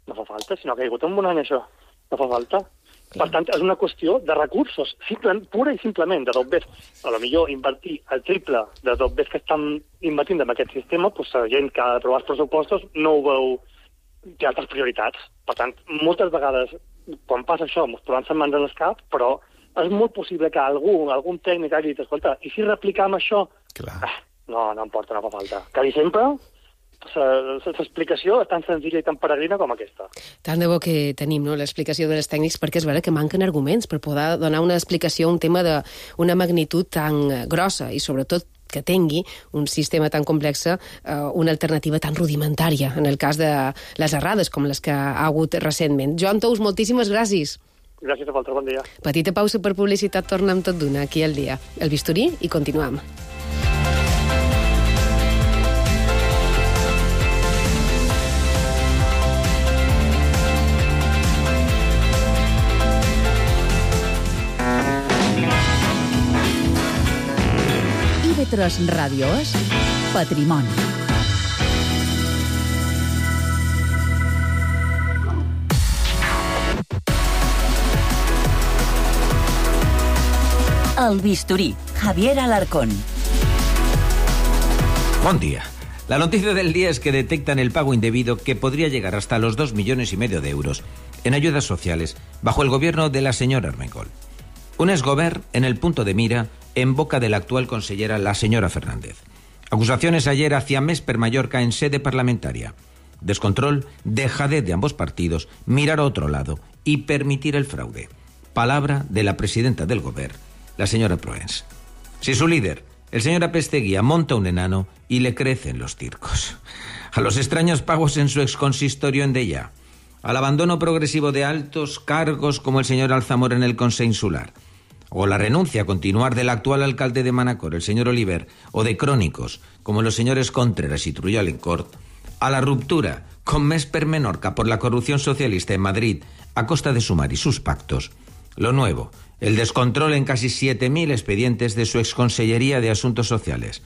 no fa falta, si no ha caigut en un any això, no fa falta. Clar. Per tant, és una qüestió de recursos, simple, pura i simplement, de dobbers. A lo millor invertir el triple de dobbers que estan invertint en aquest sistema, doncs la gent que ha d'aprovar els pressupostos no ho veu, té altres prioritats. Per tant, moltes vegades, quan passa això, ens trobem les mans en el cap, però és molt possible que algú, algun tècnic hagi dit, escolta, i si replicam això? Ah, no, no em porta, no fa falta. Quasi sempre... l'explicació és tan senzilla i tan peregrina com aquesta. Tant de bo que tenim, no?, l'explicació dels tècnics, perquè és vera que manquen arguments per poder donar una explicació a un tema d'una magnitud tan grossa i sobretot que tingui un sistema tan complex, eh, una alternativa tan rudimentària en el cas de les errades com les que ha hagut recentment. Joan Tous, moltíssimes gràcies. Gràcies a vosaltres, bon dia. Petita pausa per publicitat, torna amb tot d'una aquí al dia. El bisturí i continuem. I V tres Ràdio és Patrimoni. El bisturí, Javier Alarcón. Buen día. La noticia del día es que detectan el pago indebido que podría llegar hasta los dos millones y medio de euros en ayudas sociales bajo el gobierno de la señora Armengol. Un exgover en el punto de mira en boca de la actual consellera, la señora Fernández. Acusaciones ayer hacia Mesper Mallorca en sede parlamentaria. Descontrol, dejadez de ambos partidos, mirar a otro lado y permitir el fraude. Palabra de la presidenta del Gobierno, la señora Proens. Si su líder, el señor Apesteguía, monta un enano y le crecen los circos. A los extraños pagos en su exconsistorio en Deià. Al abandono progresivo de altos cargos como el señor Alzamora en el Consejo Insular. O la renuncia a continuar del actual alcalde de Manacor, el señor Oliver, o de crónicos, como los señores Contreras y Trujal en Cort, a la ruptura con Mesper Menorca por la corrupción socialista en Madrid a costa de Sumar y sus pactos. Lo nuevo, el descontrol en casi siete mil expedientes de su exconsellería de Asuntos Sociales.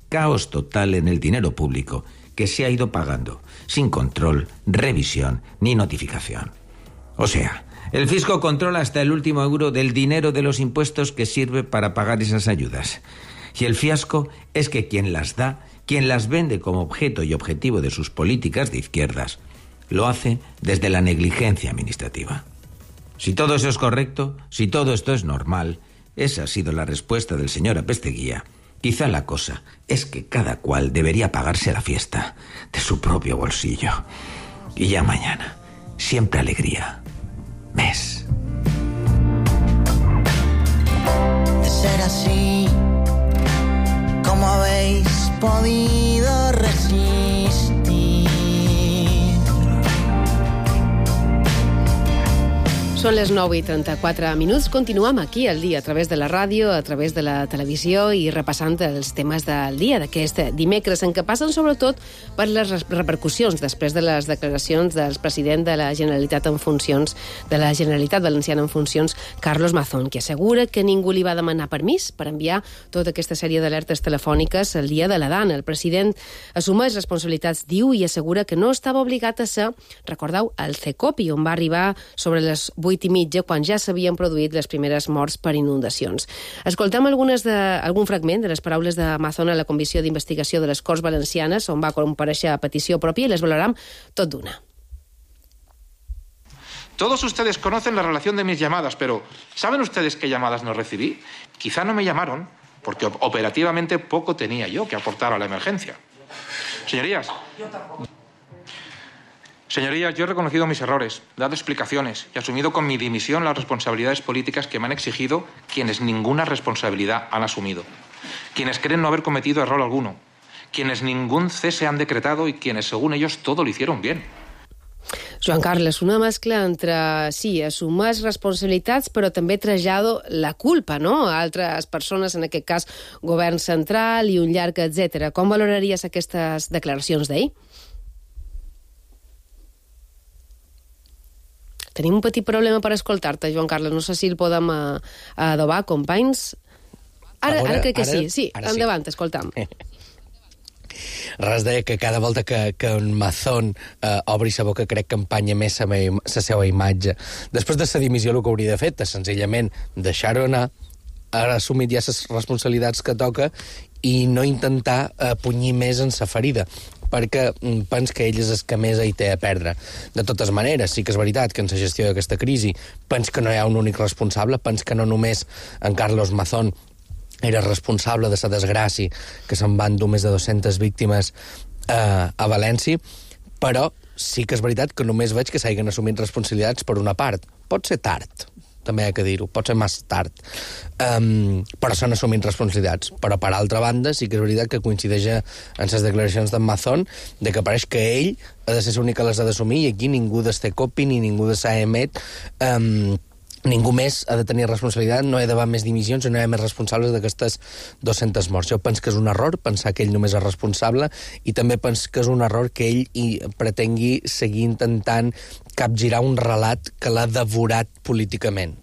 Caos total en el dinero público que se ha ido pagando, sin control, revisión ni notificación. O sea, el fisco controla hasta el último euro del dinero de los impuestos que sirve para pagar esas ayudas. Y el fiasco es que quien las da, quien las vende como objeto y objetivo de sus políticas de izquierdas, lo hace desde la negligencia administrativa. Si todo eso es correcto, si todo esto es normal, esa ha sido la respuesta del señor Apesteguía. Quizá la cosa es que cada cual debería pagarse la fiesta de su propio bolsillo. Y ya mañana, siempre alegría. Mes. De ser así, ¿cómo habéis podido resistir? Són les nou i trenta-quatre minuts. Continuem aquí al dia a través de la ràdio, a través de la televisió i repassant els temes del dia d'aquest dimecres, en què passen sobretot per les repercussions després de les declaracions del president de la Generalitat en funcions, de la Generalitat Valenciana en funcions, Carlos Mazón, que assegura que ningú li va demanar permís per enviar tota aquesta sèrie d'alertes telefòniques el dia de la Dana. El president assumeix responsabilitats, diu, i assegura que no estava obligat a ser, recordeu, el CECOPI, on va arribar sobre les vuit i mitja, quan ja s'havien produït les primeres morts per inundacions. Escoltem algunes de, algun fragment de les paraules de Mazón a la Comissió d'Investigació de les Corts Valencianes, on va comparèixer a petició pròpia, i les valorem tot d'una. Todos ustedes conocen la relación de mis llamadas, pero ¿saben ustedes qué llamadas no recibí? Quizá no me llamaron porque operativamente poco tenía yo que aportar a la emergencia. Señorías, Señorías, yo he reconocido mis errores, dado explicaciones y asumido con mi dimisión las responsabilidades políticas que me han exigido quienes ninguna responsabilidad han asumido, quienes creen no haber cometido error alguno, quienes ningún cese han decretado y quienes, según ellos, todo lo hicieron bien. Joan Carles, una mescla entre, sí, assumir responsabilitats, però també trasllado la culpa, no?, a altres persones, en aquest cas, govern central i un llarg, etcètera. Com valoraries aquestes declaracions d'ahir? Tenim un petit problema per escoltar-te, Joan Carles. No sé si el podem uh, adobar, companys. Ara, ara, ara crec que ara, sí. Sí, endavant, sí. Escoltam. Res deia que cada volta que, que un Mazón eh, obri sa boca crec que empanya més sa, sa seva imatge. Després de sa dimissió el que hauria de fer és senzillament deixar-ho anar, ara assumir ja les responsabilitats que toca i no intentar eh, punyir més en sa ferida, perquè pens que ell és el que més hi té a perdre. De totes maneres, sí que és veritat que en la gestió d'aquesta crisi pens que no hi ha un únic responsable, pens que no només en Carlos Mazón era responsable de la desgràcia que se'n van dur més de dues-centes víctimes eh, a València, però sí que és veritat que només veig que s'hagin assumit responsabilitats per una part. Pot ser tard, també hi ha que dir-ho, pot ser massa tard, um, però s'han assumit responsabilitats. Però, per altra banda, sí que és veritat que coincideix en les declaracions d'en Mazón de que pareix que ell ha de ser l'únic que les ha d'assumir i aquí ningú del CECOPI ni ningú de s'A M E T um, ningú més ha de tenir responsabilitat, no hi ha d'haver més dimissions i no hi ha més responsables d'aquestes dues-centes morts. Jo penso que és un error pensar que ell només és responsable i també penso que és un error que ell hi pretengui seguir intentant capgirar un relat que l'ha devorat políticament.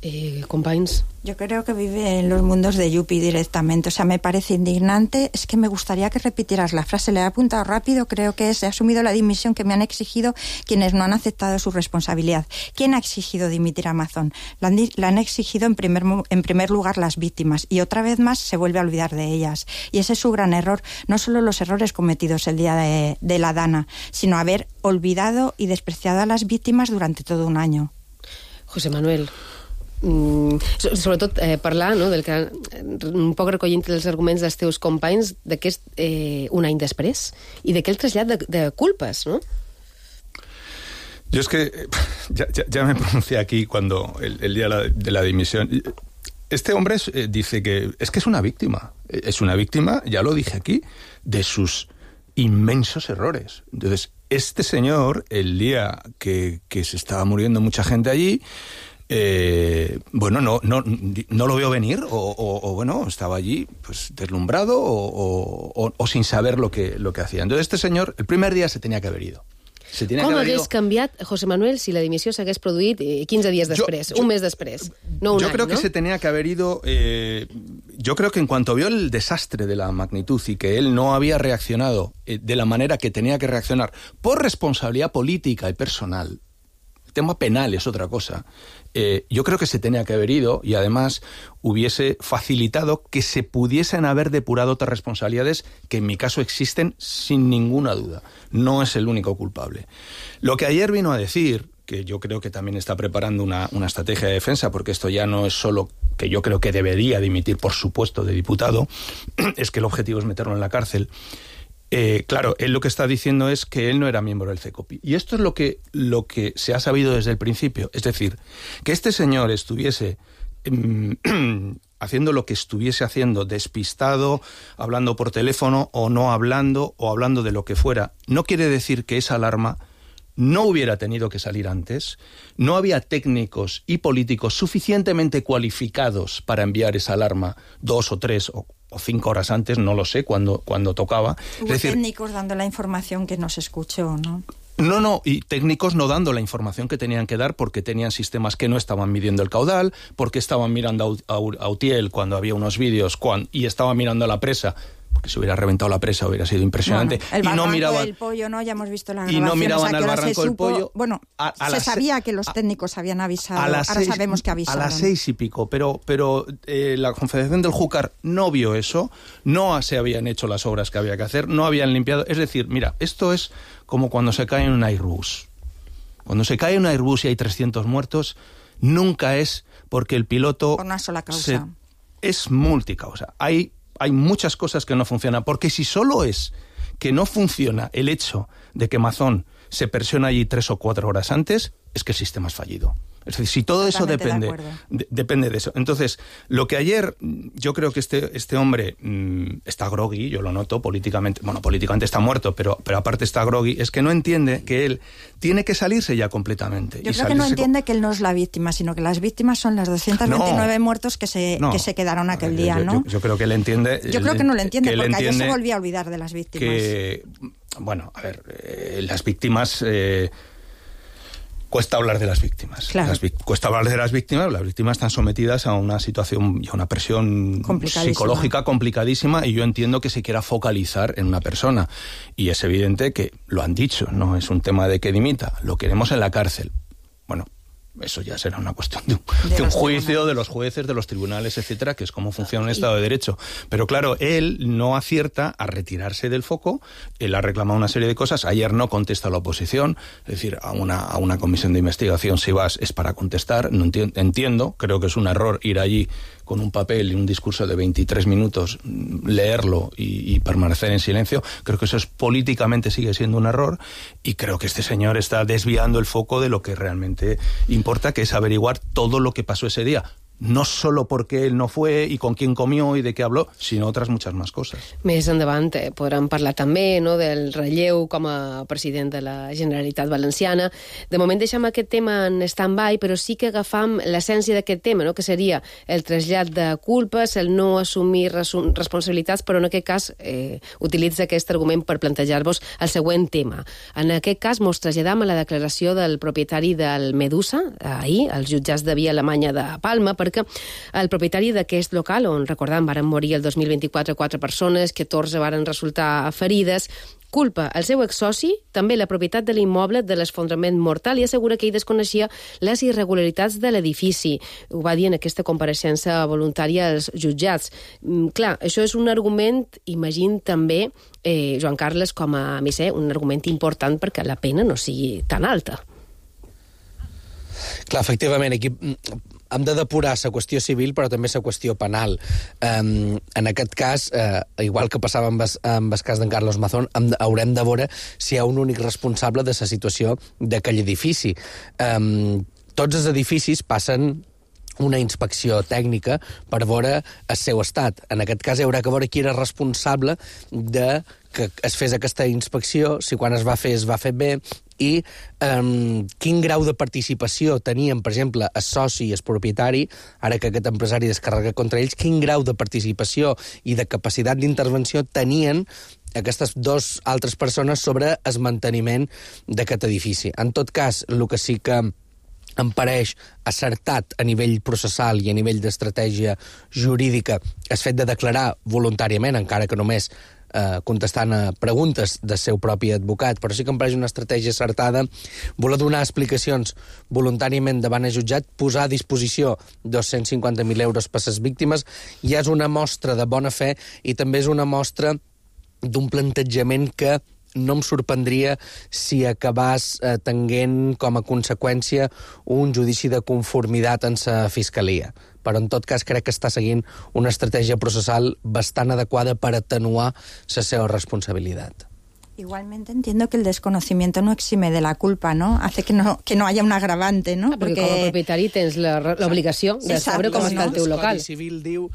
Eh, companys. Yo creo que vive en los mundos de Yupi directamente. O sea, me parece indignante. Es que me gustaría que repitieras la frase. Le he apuntado rápido. Creo que es, he asumido la dimisión que me han exigido quienes no han aceptado su responsabilidad. ¿Quién ha exigido dimitir a Mazón? La han, la han exigido en primer, en primer lugar las víctimas. Y otra vez más se vuelve a olvidar de ellas. Y ese es su gran error. No solo los errores cometidos el día de, de la Dana, sino haber olvidado y despreciado a las víctimas durante todo un año. José Manuel... Mm, sobretot eh, parlar, no, del que, un poc recollint els arguments dels teus companys d'aquest eh, un any després i d'aquell trasllat de, de culpes, ¿no? Yo es que ya, ya, ya me pronuncié aquí cuando el, el día de la, de la dimisión. Este hombre es, eh, dice que es que es una víctima, es una víctima, ya lo dije aquí, de sus inmensos errores. Entonces, este señor, el día que, que se estaba muriendo mucha gente allí, Eh, bueno, no, no, no lo veo venir o, o, o bueno, estaba allí pues deslumbrado o, o, o sin saber lo que, lo que hacía. Entonces este señor, el primer día se tenía que haber ido. Se tenía Com que haber hagués ido... canviat, José Manuel, si la dimissió s'hagués produït quinze dies després, yo, yo, un mes després, no un yo any, creo ¿no? que se tenía que haber ido... Eh, yo creo que en cuanto vio el desastre de la magnitud y que él no había reaccionado eh, de la manera que tenía que reaccionar por responsabilidad política y personal, el tema penal es otra cosa, eh, yo creo que se tenía que haber ido y además hubiese facilitado que se pudiesen haber depurado otras responsabilidades que en mi caso existen sin ninguna duda. No es el único culpable. Lo que ayer vino a decir que yo creo que también está preparando una, una estrategia de defensa, porque esto ya no es solo que yo creo que debería dimitir, por supuesto, de diputado, es que el objetivo es meterlo en la cárcel. Eh, claro, él lo que está diciendo es que él no era miembro del CECOPI. Y esto es lo que, lo que se ha sabido desde el principio. Es decir, que este señor estuviese eh, haciendo lo que estuviese haciendo, despistado, hablando por teléfono o no hablando, o hablando de lo que fuera, no quiere decir que esa alarma no hubiera tenido que salir antes. No había técnicos y políticos suficientemente cualificados para enviar esa alarma dos o tres o, o cinco horas antes, no lo sé, cuando, cuando tocaba. Hubo es decir, técnicos dando la información que no se escuchó, ¿no? No, no, y técnicos no dando la información que tenían que dar porque tenían sistemas que no estaban midiendo el caudal, porque estaban mirando a Utiel cuando había unos vídeos cuando, y estaban mirando a la presa, porque si hubiera reventado la presa hubiera sido impresionante. Bueno, el y no miraban del pollo, ¿no? Ya hemos visto la y grabación. no miraban o sea, al barranco del supo, pollo. Bueno, a, a se sabía que los técnicos habían avisado, a las ahora seis, sabemos que avisaron. A las seis y pico, pero, pero eh, la Confederación del Júcar no vio eso, no se habían hecho las obras que había que hacer, no habían limpiado. Es decir, mira, esto es como cuando se cae en un Airbus. Cuando se cae en un Airbus y hay trescientos muertos, nunca es porque el piloto... Por una sola causa. Se, es multicausa. Hay, hay muchas cosas que no funcionan, porque si solo es que no funciona el hecho de que Mazón se presiona allí tres o cuatro horas antes, es que el sistema es fallido. Es decir, si todo eso depende de, de, depende de eso. Entonces, lo que ayer, yo creo que este, este hombre mmm, está groggy, yo lo noto políticamente, bueno, políticamente está muerto, pero, pero aparte está groggy, es que no entiende que él tiene que salirse ya completamente. Yo y creo que no entiende con... que él no es la víctima, sino que las víctimas son las doscientos veintinueve no, muertos que se, no, que se quedaron aquel día, yo, ¿no? Yo, yo creo que él entiende... Yo creo que no lo entiende, porque entiende ayer se volvía a olvidar de las víctimas. Que, bueno, a ver, eh, las víctimas... Eh, Cuesta hablar de las víctimas. Claro. Las, cuesta hablar de las víctimas. Las víctimas están sometidas a una situación y a una presión psicológica complicadísima, y yo entiendo que se quiera focalizar en una persona. Y es evidente que lo han dicho, no es un tema de que dimita. Lo queremos en la cárcel. Bueno, eso ya será una cuestión de un, de de un juicio de los jueces, de los tribunales, etcétera, que es cómo funciona un Estado de Derecho. Pero claro, él no acierta a retirarse del foco. Él ha reclamado una serie de cosas. Ayer no contesta a la oposición. Es decir, a una, a una comisión de investigación, si vas, es para contestar. No entiendo, entiendo, creo que es un error ir allí con un papel y un discurso de veintitrés minutos, leerlo y, y permanecer en silencio. Creo que eso es, políticamente sigue siendo un error, y creo que este señor está desviando el foco de lo que realmente importa, que es averiguar todo lo que pasó ese día. No solo porque él no fue i con quién comió i de què habló, sinó otras muchas más cosas. Més endavant eh, podrem parlar també, no, del relleu com a president de la Generalitat Valenciana. De moment deixem aquest tema en stand-by, però sí que agafam l'essència d'aquest tema, no, que seria el trasllat de culpes, el no assumir responsabilitats, però en aquest cas eh, utilitza aquest argument per plantejar-vos el següent tema. En aquest cas mos traslladam a la declaració del propietari del Medusa, ahir, als jutjats de Via Alemanya de Palma, perquè el propietari d'aquest local, on, recordam, varen morir el dos mil vint-i-quatre quatre persones, catorze varen resultar ferides, culpa el seu exsoci, també la propietat de l'immoble, de l'esfondrament mortal, i assegura que ell desconeixia les irregularitats de l'edifici. Ho va dir en aquesta compareixença voluntària als jutjats. Clar, això és un argument, imagino també, eh, Joan Carles, com a misser, un argument important perquè la pena no sigui tan alta. Clar, efectivament, aquí hem de depurar la qüestió civil, però també la qüestió penal. Um, en aquest cas, uh, igual que passava amb el, amb el cas d'en Carlos Mazón, hem, haurem de veure si hi ha un únic responsable de la situació d'aquell edifici. Um, tots els edificis passen una inspecció tècnica per veure el seu estat. En aquest cas hi haurà que veure qui era responsable de que es fes aquesta inspecció, si quan es va fer es va fer bé, i um, quin grau de participació tenien, per exemple, el soci i el propietari, ara que aquest empresari descarrega contra ells, quin grau de participació i de capacitat d'intervenció tenien aquestes dues altres persones sobre el manteniment d'aquest edifici. En tot cas, el que sí que em pareix acertat a nivell processal i a nivell d'estratègia jurídica el fet de declarar voluntàriament, encara que només eh, contestant a preguntes del seu propi advocat, però sí que em pareix una estratègia acertada voler donar explicacions voluntàriament davant el jutjat, posar a disposició dos-cents cinquanta mil euros per les víctimes, ja és una mostra de bona fe i també és una mostra d'un plantejament que no em sorprendria si acabàs eh, tenint com a conseqüència un judici de conformitat en sa fiscalia. Però en tot cas crec que està seguint una estratègia processal bastant adequada per atenuar la seva responsabilitat. Igualmente entiendo que el desconocimiento no exime de la culpa, ¿no? Hace que no, que no haya un agravante, ¿no? Ah, perquè com a propietari tens l'obligació de saber com està el teu local. El Codi Civil diu...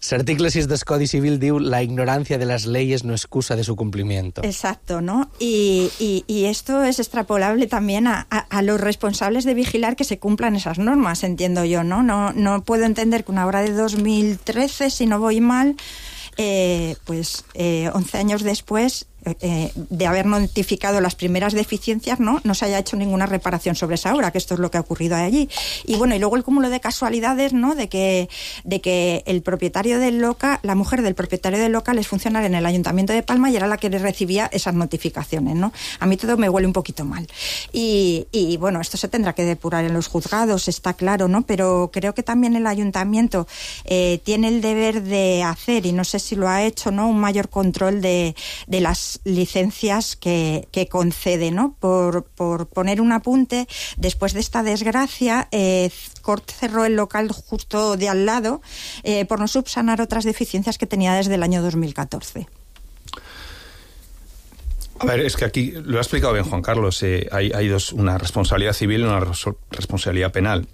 L'article sis del Codi Civil diu la ignorancia de las leyes no excusa de su cumplimiento. Exacto, ¿no? Y, y, y esto es extrapolable también a, a, a los responsables de vigilar que se cumplan esas normas, entiendo yo, ¿no? No, no puedo entender que una obra de dos mil trece, si no voy mal, eh, pues eh, once años después... Eh, de haber notificado las primeras deficiencias, ¿no? no se haya hecho ninguna reparación sobre esa obra, que esto es lo que ha ocurrido allí. Y bueno, y luego el cúmulo de casualidades, ¿no? de que de que el propietario del local, la mujer del propietario del local es funcionaria en el Ayuntamiento de Palma y era la que le recibía esas notificaciones, ¿no? A mí todo me huele un poquito mal. Y, y bueno, esto se tendrá que depurar en los juzgados, está claro, ¿no? Pero creo que también el Ayuntamiento eh, tiene el deber de hacer, y no sé si lo ha hecho, ¿no? Un mayor control de, de las licencias que, que concede, ¿no? Por, por poner un apunte, después de esta desgracia, eh, Cort cerró el local justo de al lado eh, por no subsanar otras deficiencias que tenía desde el año dos mil catorce. A ver, es que aquí lo ha explicado bien Juan Carlos, eh, hay, hay dos, una responsabilidad civil y una responsabilidad penal.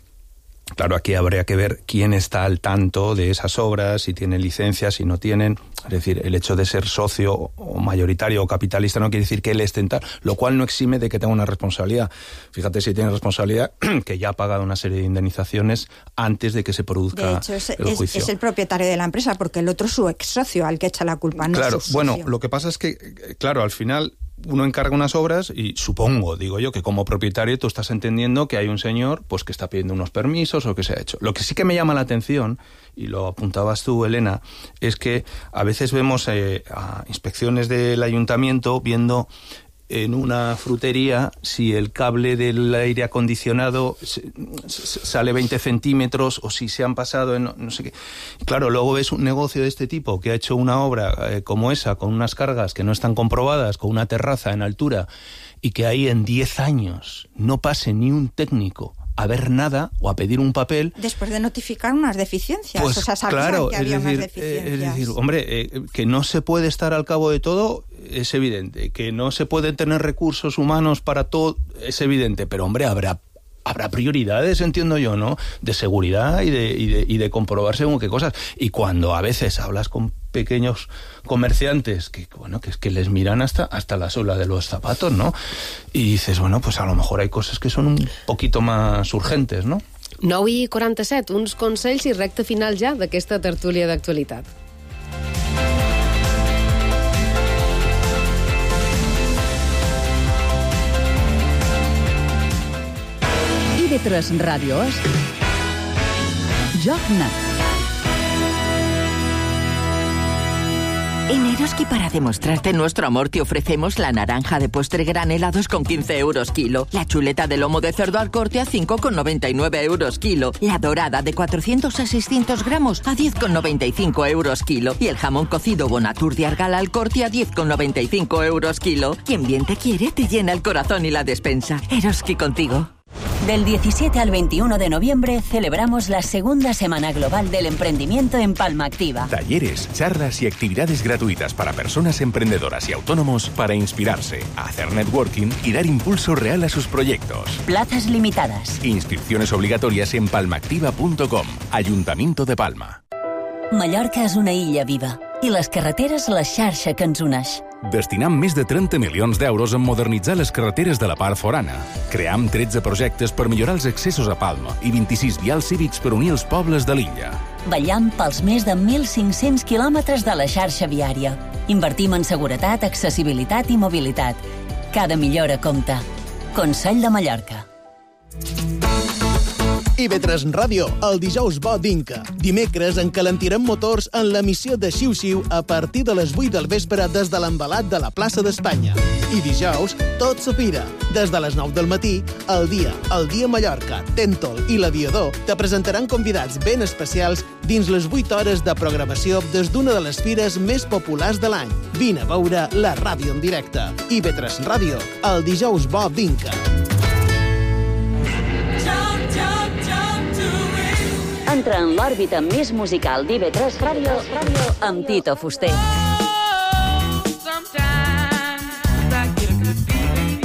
Claro, aquí habría que ver quién está al tanto de esas obras, si tienen licencias, si no tienen. Es decir, el hecho de ser socio o mayoritario o capitalista no quiere decir que él esté en tal, lo cual no exime de que tenga una responsabilidad. Fíjate si tiene responsabilidad, que ya ha pagado una serie de indemnizaciones antes de que se produzca de hecho, es, el juicio. Es, es el propietario de la empresa, porque el otro es su ex socio al que echa la culpa, no claro, su socio. Bueno, lo que pasa es que, claro, al final... uno encarga unas obras y supongo, digo yo, que como propietario tú estás entendiendo que hay un señor pues que está pidiendo unos permisos o que se ha hecho. Lo que sí que me llama la atención, y lo apuntabas tú, Elena, es que a veces vemos eh, a inspecciones del ayuntamiento viendo en una frutería si el cable del aire acondicionado sale veinte centímetros o si se han pasado en no sé qué. Claro, luego ves un negocio de este tipo que ha hecho una obra eh, como esa, con unas cargas que no están comprobadas, con una terraza en altura, y que ahí en diez años no pase ni un técnico a ver nada o a pedir un papel. Después de notificar unas deficiencias. Pues o sea, sabían claro, que había es decir, unas deficiencias. es decir, hombre, eh, que no se puede estar al cabo de todo es evidente, que no se pueden tener recursos humanos para todo es evidente, pero hombre, habrá habrá prioridades, entiendo yo, ¿no? De seguridad y de, y de, y de comprobar según qué cosas. Y cuando a veces hablas con pequeños comerciantes que, bueno, que es que les miran hasta, hasta la suela de los zapatos, ¿no? Y dices, bueno, pues a lo mejor hay cosas que son un poquito más urgentes, ¿no? nou i quaranta-set, uns consells i recte final ja d'aquesta tertúlia d'actualitat. I V tres Ràdio és Joc Nat. En Eroski, para demostrarte nuestro amor, te ofrecemos la naranja de postre granel a dos con quince euros kilo, la chuleta de lomo de cerdo al corte a cinco con noventa y nueve euros kilo, la dorada de cuatrocientos a seiscientos gramos a diez con noventa y cinco euros kilo y el jamón cocido Bonatur de Argal al corte a diez con noventa y cinco euros kilo. Quien bien te quiere, te llena el corazón y la despensa. Eroski contigo. Del diecisiete al veintiuno de noviembre celebramos la segunda Semana Global del Emprendimiento en Palma Activa. Talleres, charlas y actividades gratuitas para personas emprendedoras y autónomos para inspirarse, hacer networking y dar impulso real a sus proyectos. Plazas limitadas. Inscripciones obligatorias en palmaactiva punto com. Ayuntamiento de Palma. Mallorca és una illa viva i les carreteres la xarxa que ens uneix. Destinam més de trenta milions d'euros en modernitzar les carreteres de la part forana. Cream tretze projectes per millorar els accessos a Palma i vint-i-sis vials cívics per unir els pobles de l'illa. Vetllam pels més de mil cinc-cents quilòmetres de la xarxa viària. Invertim en seguretat, accessibilitat i mobilitat. Cada millora compta. Consell de Mallorca. I B tres Ràdio, el dijous bo d'Inca. Dimecres encalentirem motors en l'emissió de Xiu Xiu a partir de les vuit del vespre des de l'embalat de la plaça d'Espanya. I dijous, tot s'opira. Des de les nou del matí, El Dia, El Dia Mallorca, Tèntol i l'Aviador te presentaran convidats ben especials dins les vuit hores de programació des d'una de les fires més populars de l'any. Vine a veure la ràdio en directe. I B tres Ràdio, el dijous bo d'Inca. Entra en l'òrbita més musical d'I B tres Ràdio amb Tito Fuster.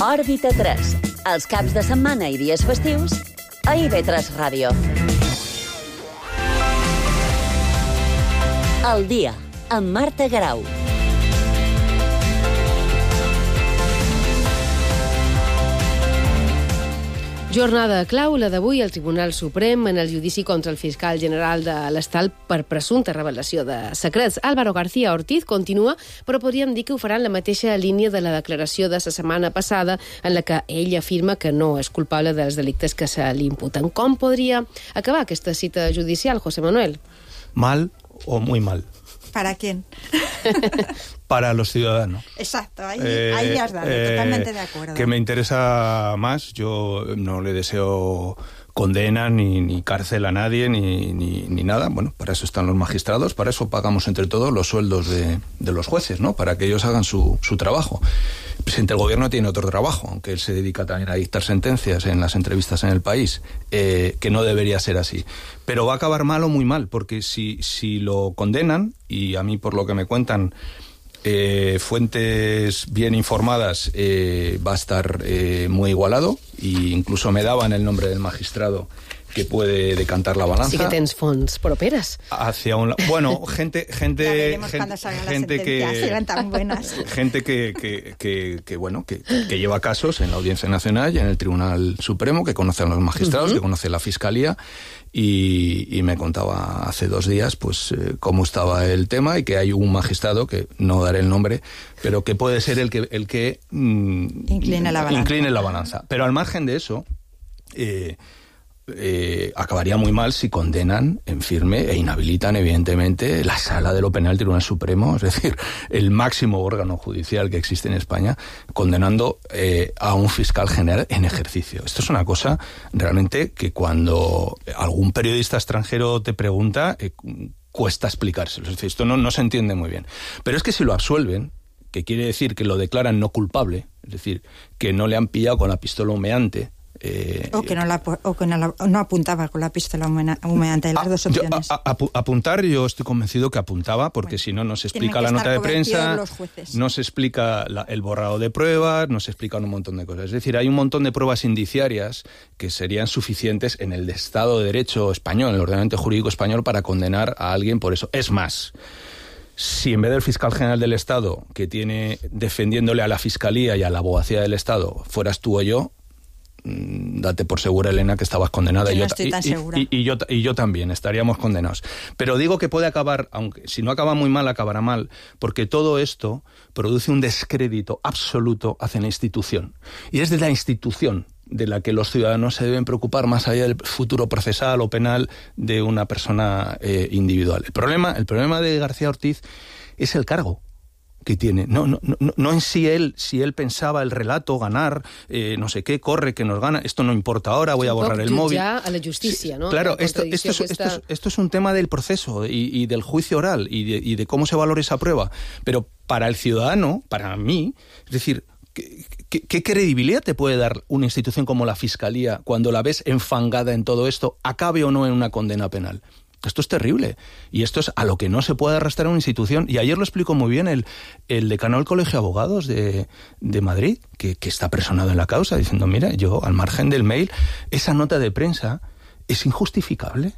Òrbita tres, els caps de setmana i dies festius a I B tres Ràdio. El Dia, amb Marta Garau. Jornada clau, la d'avui, al Tribunal Suprem en el judici contra el fiscal general de l'Estat per presumpta revelació de secrets. Álvaro García Ortiz continua, però podríem dir que ho farà en la mateixa línia de la declaració de la setmana passada en la que ell afirma que no és culpable dels delictes que se li imputen. Com podria acabar aquesta cita judicial, José Manuel? Mal o muy mal. ¿Para quién? Para los ciudadanos. Exacto, ahí, eh, ahí has dado, eh, totalmente de acuerdo. Que me interesa más, yo no le deseo condena ni, ni cárcel a nadie ni, ni, ni nada. Bueno, para eso están los magistrados, para eso pagamos entre todos los sueldos de, de los jueces, ¿no? Para que ellos hagan su, su trabajo. El presidente del gobierno tiene otro trabajo, aunque él se dedica también a dictar sentencias en las entrevistas en El País, eh, que no debería ser así. Pero va a acabar mal o muy mal, porque si, si lo condenan, y a mí por lo que me cuentan eh, fuentes bien informadas, eh, va a estar eh, muy igualado, e incluso me daban el nombre del magistrado que puede decantar la balanza. Sí que tens fonts properes. Hacia un bueno, gente gente ya veremos gente, cuando salgan gente las que sentencias, serán tan buenas. Gente que, que, que, que bueno, que, que lleva casos en la Audiencia Nacional y en el Tribunal Supremo, que conoce a los magistrados, uh-huh. que conoce la Fiscalía, y, y me contaba hace dos días pues eh, cómo estaba el tema, y que hay un magistrado, que no daré el nombre, pero que puede ser el que el que mm, incline la balanza. Incline la balanza. Pero al margen de eso, eh, Eh, acabaría muy mal si condenan en firme e inhabilitan evidentemente la Sala de lo Penal del Tribunal Supremo, es decir, el máximo órgano judicial que existe en España, condenando eh, a un fiscal general en ejercicio. Esto es una cosa realmente que cuando algún periodista extranjero te pregunta, eh, cuesta explicárselo. Es decir, esto no, no se entiende muy bien. Pero es que si lo absuelven, que quiere decir que lo declaran no culpable, es decir, que no le han pillado con la pistola humeante, Eh, o que, no, la, o que no, la, no apuntaba con la pistola humeante, las dos opciones. Yo, a, a, apuntar, yo estoy convencido que apuntaba, porque bueno, si no, no se explica la nota de prensa, no se explica la, el borrado de pruebas, no se explica un montón de cosas. Es decir, hay un montón de pruebas indiciarias que serían suficientes en el Estado de Derecho español, en el ordenamiento jurídico español, para condenar a alguien por eso. Es más, si en vez del fiscal general del Estado, que tiene defendiéndole a la Fiscalía y a la Abogacía del Estado, fueras tú o yo, date por segura, Elena, que estabas condenada. Yo y, no yo, estoy tan y, segura. Y, y, yo, y yo también, estaríamos condenados. Pero digo que puede acabar, aunque si no acaba muy mal, acabará mal, porque todo esto produce un descrédito absoluto hacia la institución. Y es de la institución de la que los ciudadanos se deben preocupar, más allá del futuro procesal o penal de una persona eh, individual. El problema, el problema de García Ortiz es el cargo que tiene. No, no, no, no en sí él, si él pensaba el relato, ganar, eh, no sé qué, corre, que nos gana, esto no importa ahora, voy a borrar el móvil. Ya a la justicia, ¿no? Claro, esto, esto, es, esto, es, esto es un tema del proceso y, y del juicio oral y de, y de cómo se valora esa prueba. Pero para el ciudadano, para mí, es decir, ¿qué, qué, qué credibilidad te puede dar una institución como la Fiscalía cuando la ves enfangada en todo esto, acabe o no en una condena penal? Esto es terrible, y esto es a lo que no se puede arrastrar una institución. Y ayer lo explicó muy bien el, el decano del Colegio de Abogados de, de Madrid, que, que está personado en la causa, diciendo, mira, yo, al margen del mail, esa nota de prensa es injustificable.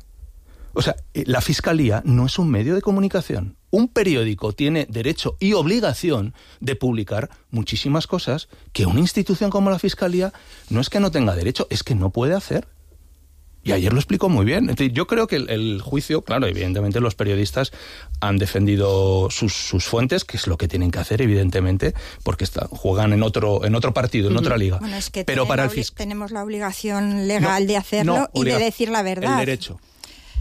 O sea, la Fiscalía no es un medio de comunicación. Un periódico tiene derecho y obligación de publicar muchísimas cosas que una institución como la Fiscalía no es que no tenga derecho, es que no puede hacer. Y ayer lo explicó muy bien. Entonces, yo creo que el, el juicio, claro, evidentemente los periodistas han defendido sus, sus fuentes, que es lo que tienen que hacer, evidentemente, porque está, juegan en otro en otro partido, en uh-huh. otra liga. Bueno, es que Pero para el fisc... tenemos la obligación legal no, de hacerlo no, y de decir la verdad. El derecho.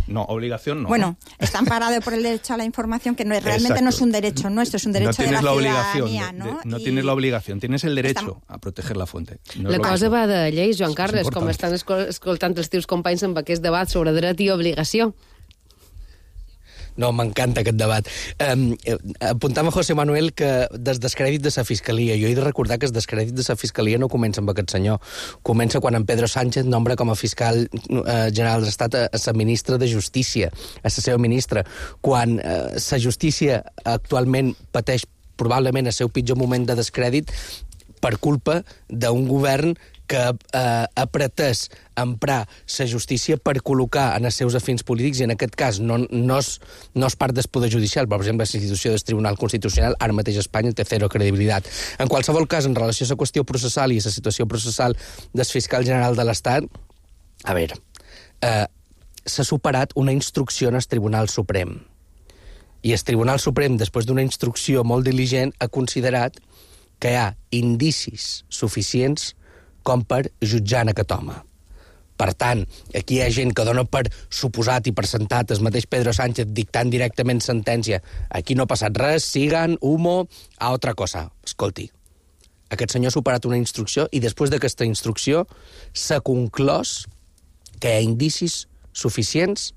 No, obligación no. Bueno, está amparado por el derecho a la información, que no es, realmente Exacto. no es un derecho nuestro, es un derecho no de la, la ciudadanía, de, ¿no? De, no I... tienes la obligación, tienes el derecho Estam... a proteger la fuente. No la cosa va de lleis, Joan Carles, com estan escoltant els teus companys amb aquest debat sobre dret i obligació. No, m'encanta aquest debat. Um, apuntava José Manuel que des descrèdit de la Fiscalia. Jo he de recordar que el descrèdit de la Fiscalia no comença amb aquest senyor. Comença quan en Pedro Sánchez nombra com a fiscal eh, general de l'Estat a, a la ministra de Justícia, a la seva ministra. Quan eh, la justícia actualment pateix probablement el seu pitjor moment de descrèdit per culpa d'un govern que eh, ha pretès emprar la justícia per col·locar en els seus afins polítics, i en aquest cas no, no, és, no és part del poder judicial, per exemple, la institució del Tribunal Constitucional, ara mateix a Espanya té zero credibilitat. En qualsevol cas, en relació a la qüestió processal i a la situació processal del fiscal general de l'Estat, a veure, eh, s'ha superat una instrucció en el Tribunal Suprem. I el Tribunal Suprem, després d'una instrucció molt diligent, ha considerat que hi ha indicis suficients com per jutjar en aquest home. Per tant, aquí hi ha gent que dona per suposat i per sentat el mateix Pedro Sánchez dictant directament sentència. Aquí no ha passat res, sigan, humo, a otra cosa. Escolti, aquest senyor ha superat una instrucció i després d'aquesta instrucció s'ha conclòs que hi ha indicis suficients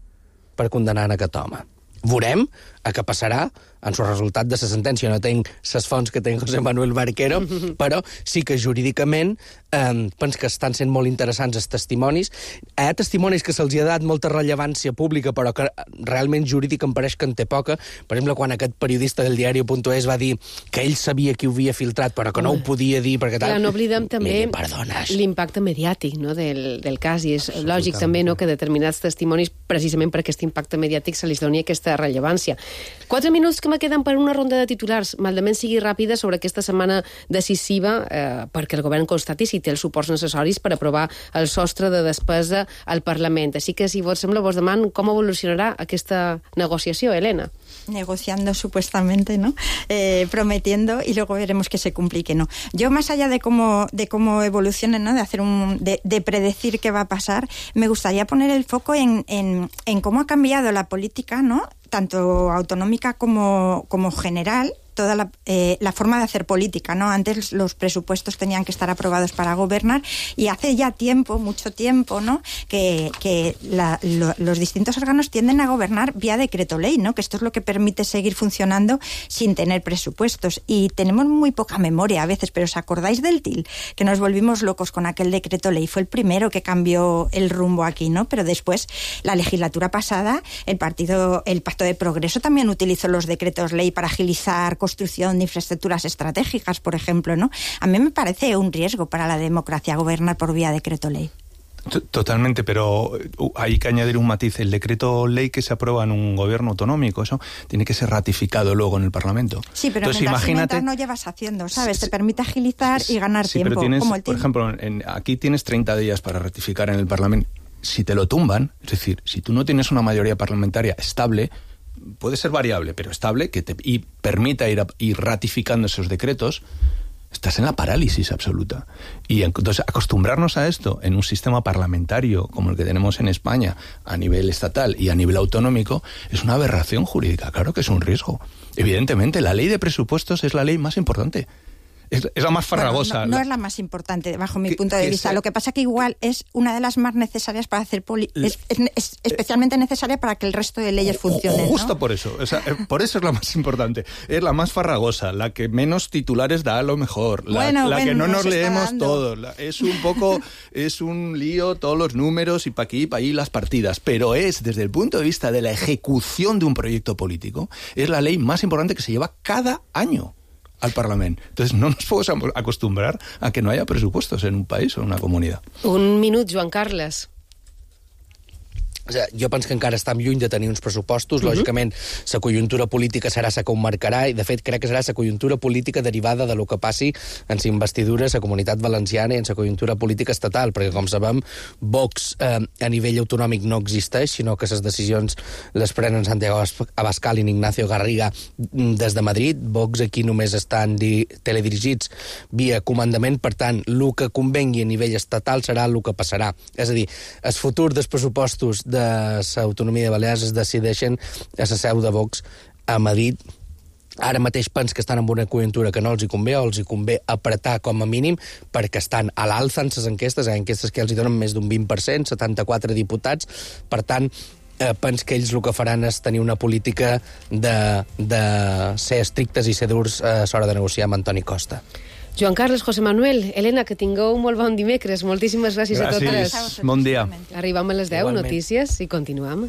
per condenar en aquest home. Veurem a què passarà en el resultat de la sentència. No tinc les fonts que té José Manuel Barquero, però sí que jurídicament eh, penso que estan sent molt interessants els testimonis. Hi ha testimonis que se'ls ha dat molta rellevància pública, però que realment jurídic em pareix que en té poca. Per exemple, quan aquest periodista del diari punt es va dir que ell sabia qui ho havia filtrat, però que no ho podia dir perquè tal... Ja, no oblidem també Miri, l'impacte mediàtic, no, del, del cas, i és lògic també, no, que determinats testimonis, precisament per aquest impacte mediàtic, se li doni aquesta rellevància. Quatre minuts que me queden per una ronda de titulars. Maldament sigui ràpida sobre aquesta setmana decisiva eh, perquè el govern constati si té els suports necessaris per aprovar el sostre de despesa al Parlament. Així que, si vos sembla, vos deman com evolucionarà aquesta negociació, Elena. Negociando supuestamente, ¿no? Eh, prometiendo y luego veremos que se cumple y que no. Yo, más allá de cómo, de cómo evolucione, ¿no? De hacer un, de, de predecir qué va a pasar, me gustaría poner el foco en, en, en cómo ha cambiado la política, ¿no? Tanto autonómica como, como general, toda la, eh, la forma de hacer política, ¿no? Antes los presupuestos tenían que estar aprobados para gobernar y hace ya tiempo, mucho tiempo, ¿no? Que, que la, lo, los distintos órganos tienden a gobernar vía decreto ley, ¿no? Que esto es lo que permite seguir funcionando sin tener presupuestos. Y tenemos muy poca memoria a veces, pero ¿os acordáis del T I L? Que nos volvimos locos con aquel decreto ley. Fue el primero que cambió el rumbo aquí, ¿no? Pero después, la legislatura pasada, el partido, el Pacto de Progreso también utilizó los decretos ley para agilizar construcción de infraestructuras estratégicas, por ejemplo, ¿no? A mí me parece un riesgo para la democracia gobernar por vía decreto ley. Totalmente, pero hay que añadir un matiz. El decreto ley que se aprueba en un gobierno autonómico, eso tiene que ser ratificado luego en el Parlamento. Sí, pero Entonces, mientras, imagínate, mientras no llevas haciendo, ¿sabes? Te permite agilizar y ganar sí, tiempo. Pero tienes, como el por ejemplo, en, aquí tienes treinta días para ratificar en el Parlamento. Si te lo tumban, es decir, si tú no tienes una mayoría parlamentaria estable, puede ser variable, pero estable, que te y permita ir, a, ir ratificando esos decretos, estás en la parálisis absoluta. Y entonces acostumbrarnos a esto en un sistema parlamentario como el que tenemos en España a nivel estatal y a nivel autonómico es una aberración jurídica. Claro que es un riesgo. Evidentemente, la ley de presupuestos es la ley más importante. Es, es la más farragosa. Bueno, no, no la... es la más importante, bajo mi que, punto de vista. Sea... Lo que pasa que igual es una de las más necesarias para hacer... Poli... Es, es, es especialmente necesaria para que el resto de leyes funcionen, Justo ¿no? por eso. O sea, por eso es la más importante. Es la más farragosa, la que menos titulares da a lo mejor, la, bueno, la bueno, que no nos leemos dando. todos. La, es un poco... es un lío, todos los números y pa' aquí y pa' allí las partidas. Pero es, desde el punto de vista de la ejecución de un proyecto político, es la ley más importante que se lleva cada año al Parlamento. Entonces no nos podemos acostumbrar a que no haya presupuestos en un país o en una comunidad. Un minut, Joan Carles. Jo penso que encara estem lluny de tenir uns pressupostos. Mhm. Lògicament, la conjuntura política serà la que ho marcarà i, de fet, crec que serà la conjuntura política derivada de lo que passi en la investidura a la Comunitat Valenciana i en la conjuntura política estatal, perquè, com sabem, Vox eh, a nivell autonòmic no existeix, sinó que les decisions les prenen Santiago Abascal i Ignacio Garriga des de Madrid. Vox aquí només estan di teledirigits via comandament, per tant, el que convengui a nivell estatal serà el que passarà. És a dir, el futur dels pressupostos de l'autonomia de Balears es decideixen a la seu de Vox a Madrid. Ara mateix pens que estan en una conjuntura que no els hi convé, o els hi convé apretar com a mínim, perquè estan a l'alça en les enquestes, en enquestes que els hi donen més d'un vint per cent, setanta-quatre diputats. Per tant, eh, pens que ells el que faran és tenir una política de, de ser estrictes i ser durs a l'hora de negociar amb Antoni Costa. Joan Carles, José Manuel, Helena, que tingueu un molt bon dimecres. Moltíssimes gràcies, gràcies. a totes. Gràcies. Bon dia. Arribam a les deu, Igualment. notícies, i continuem.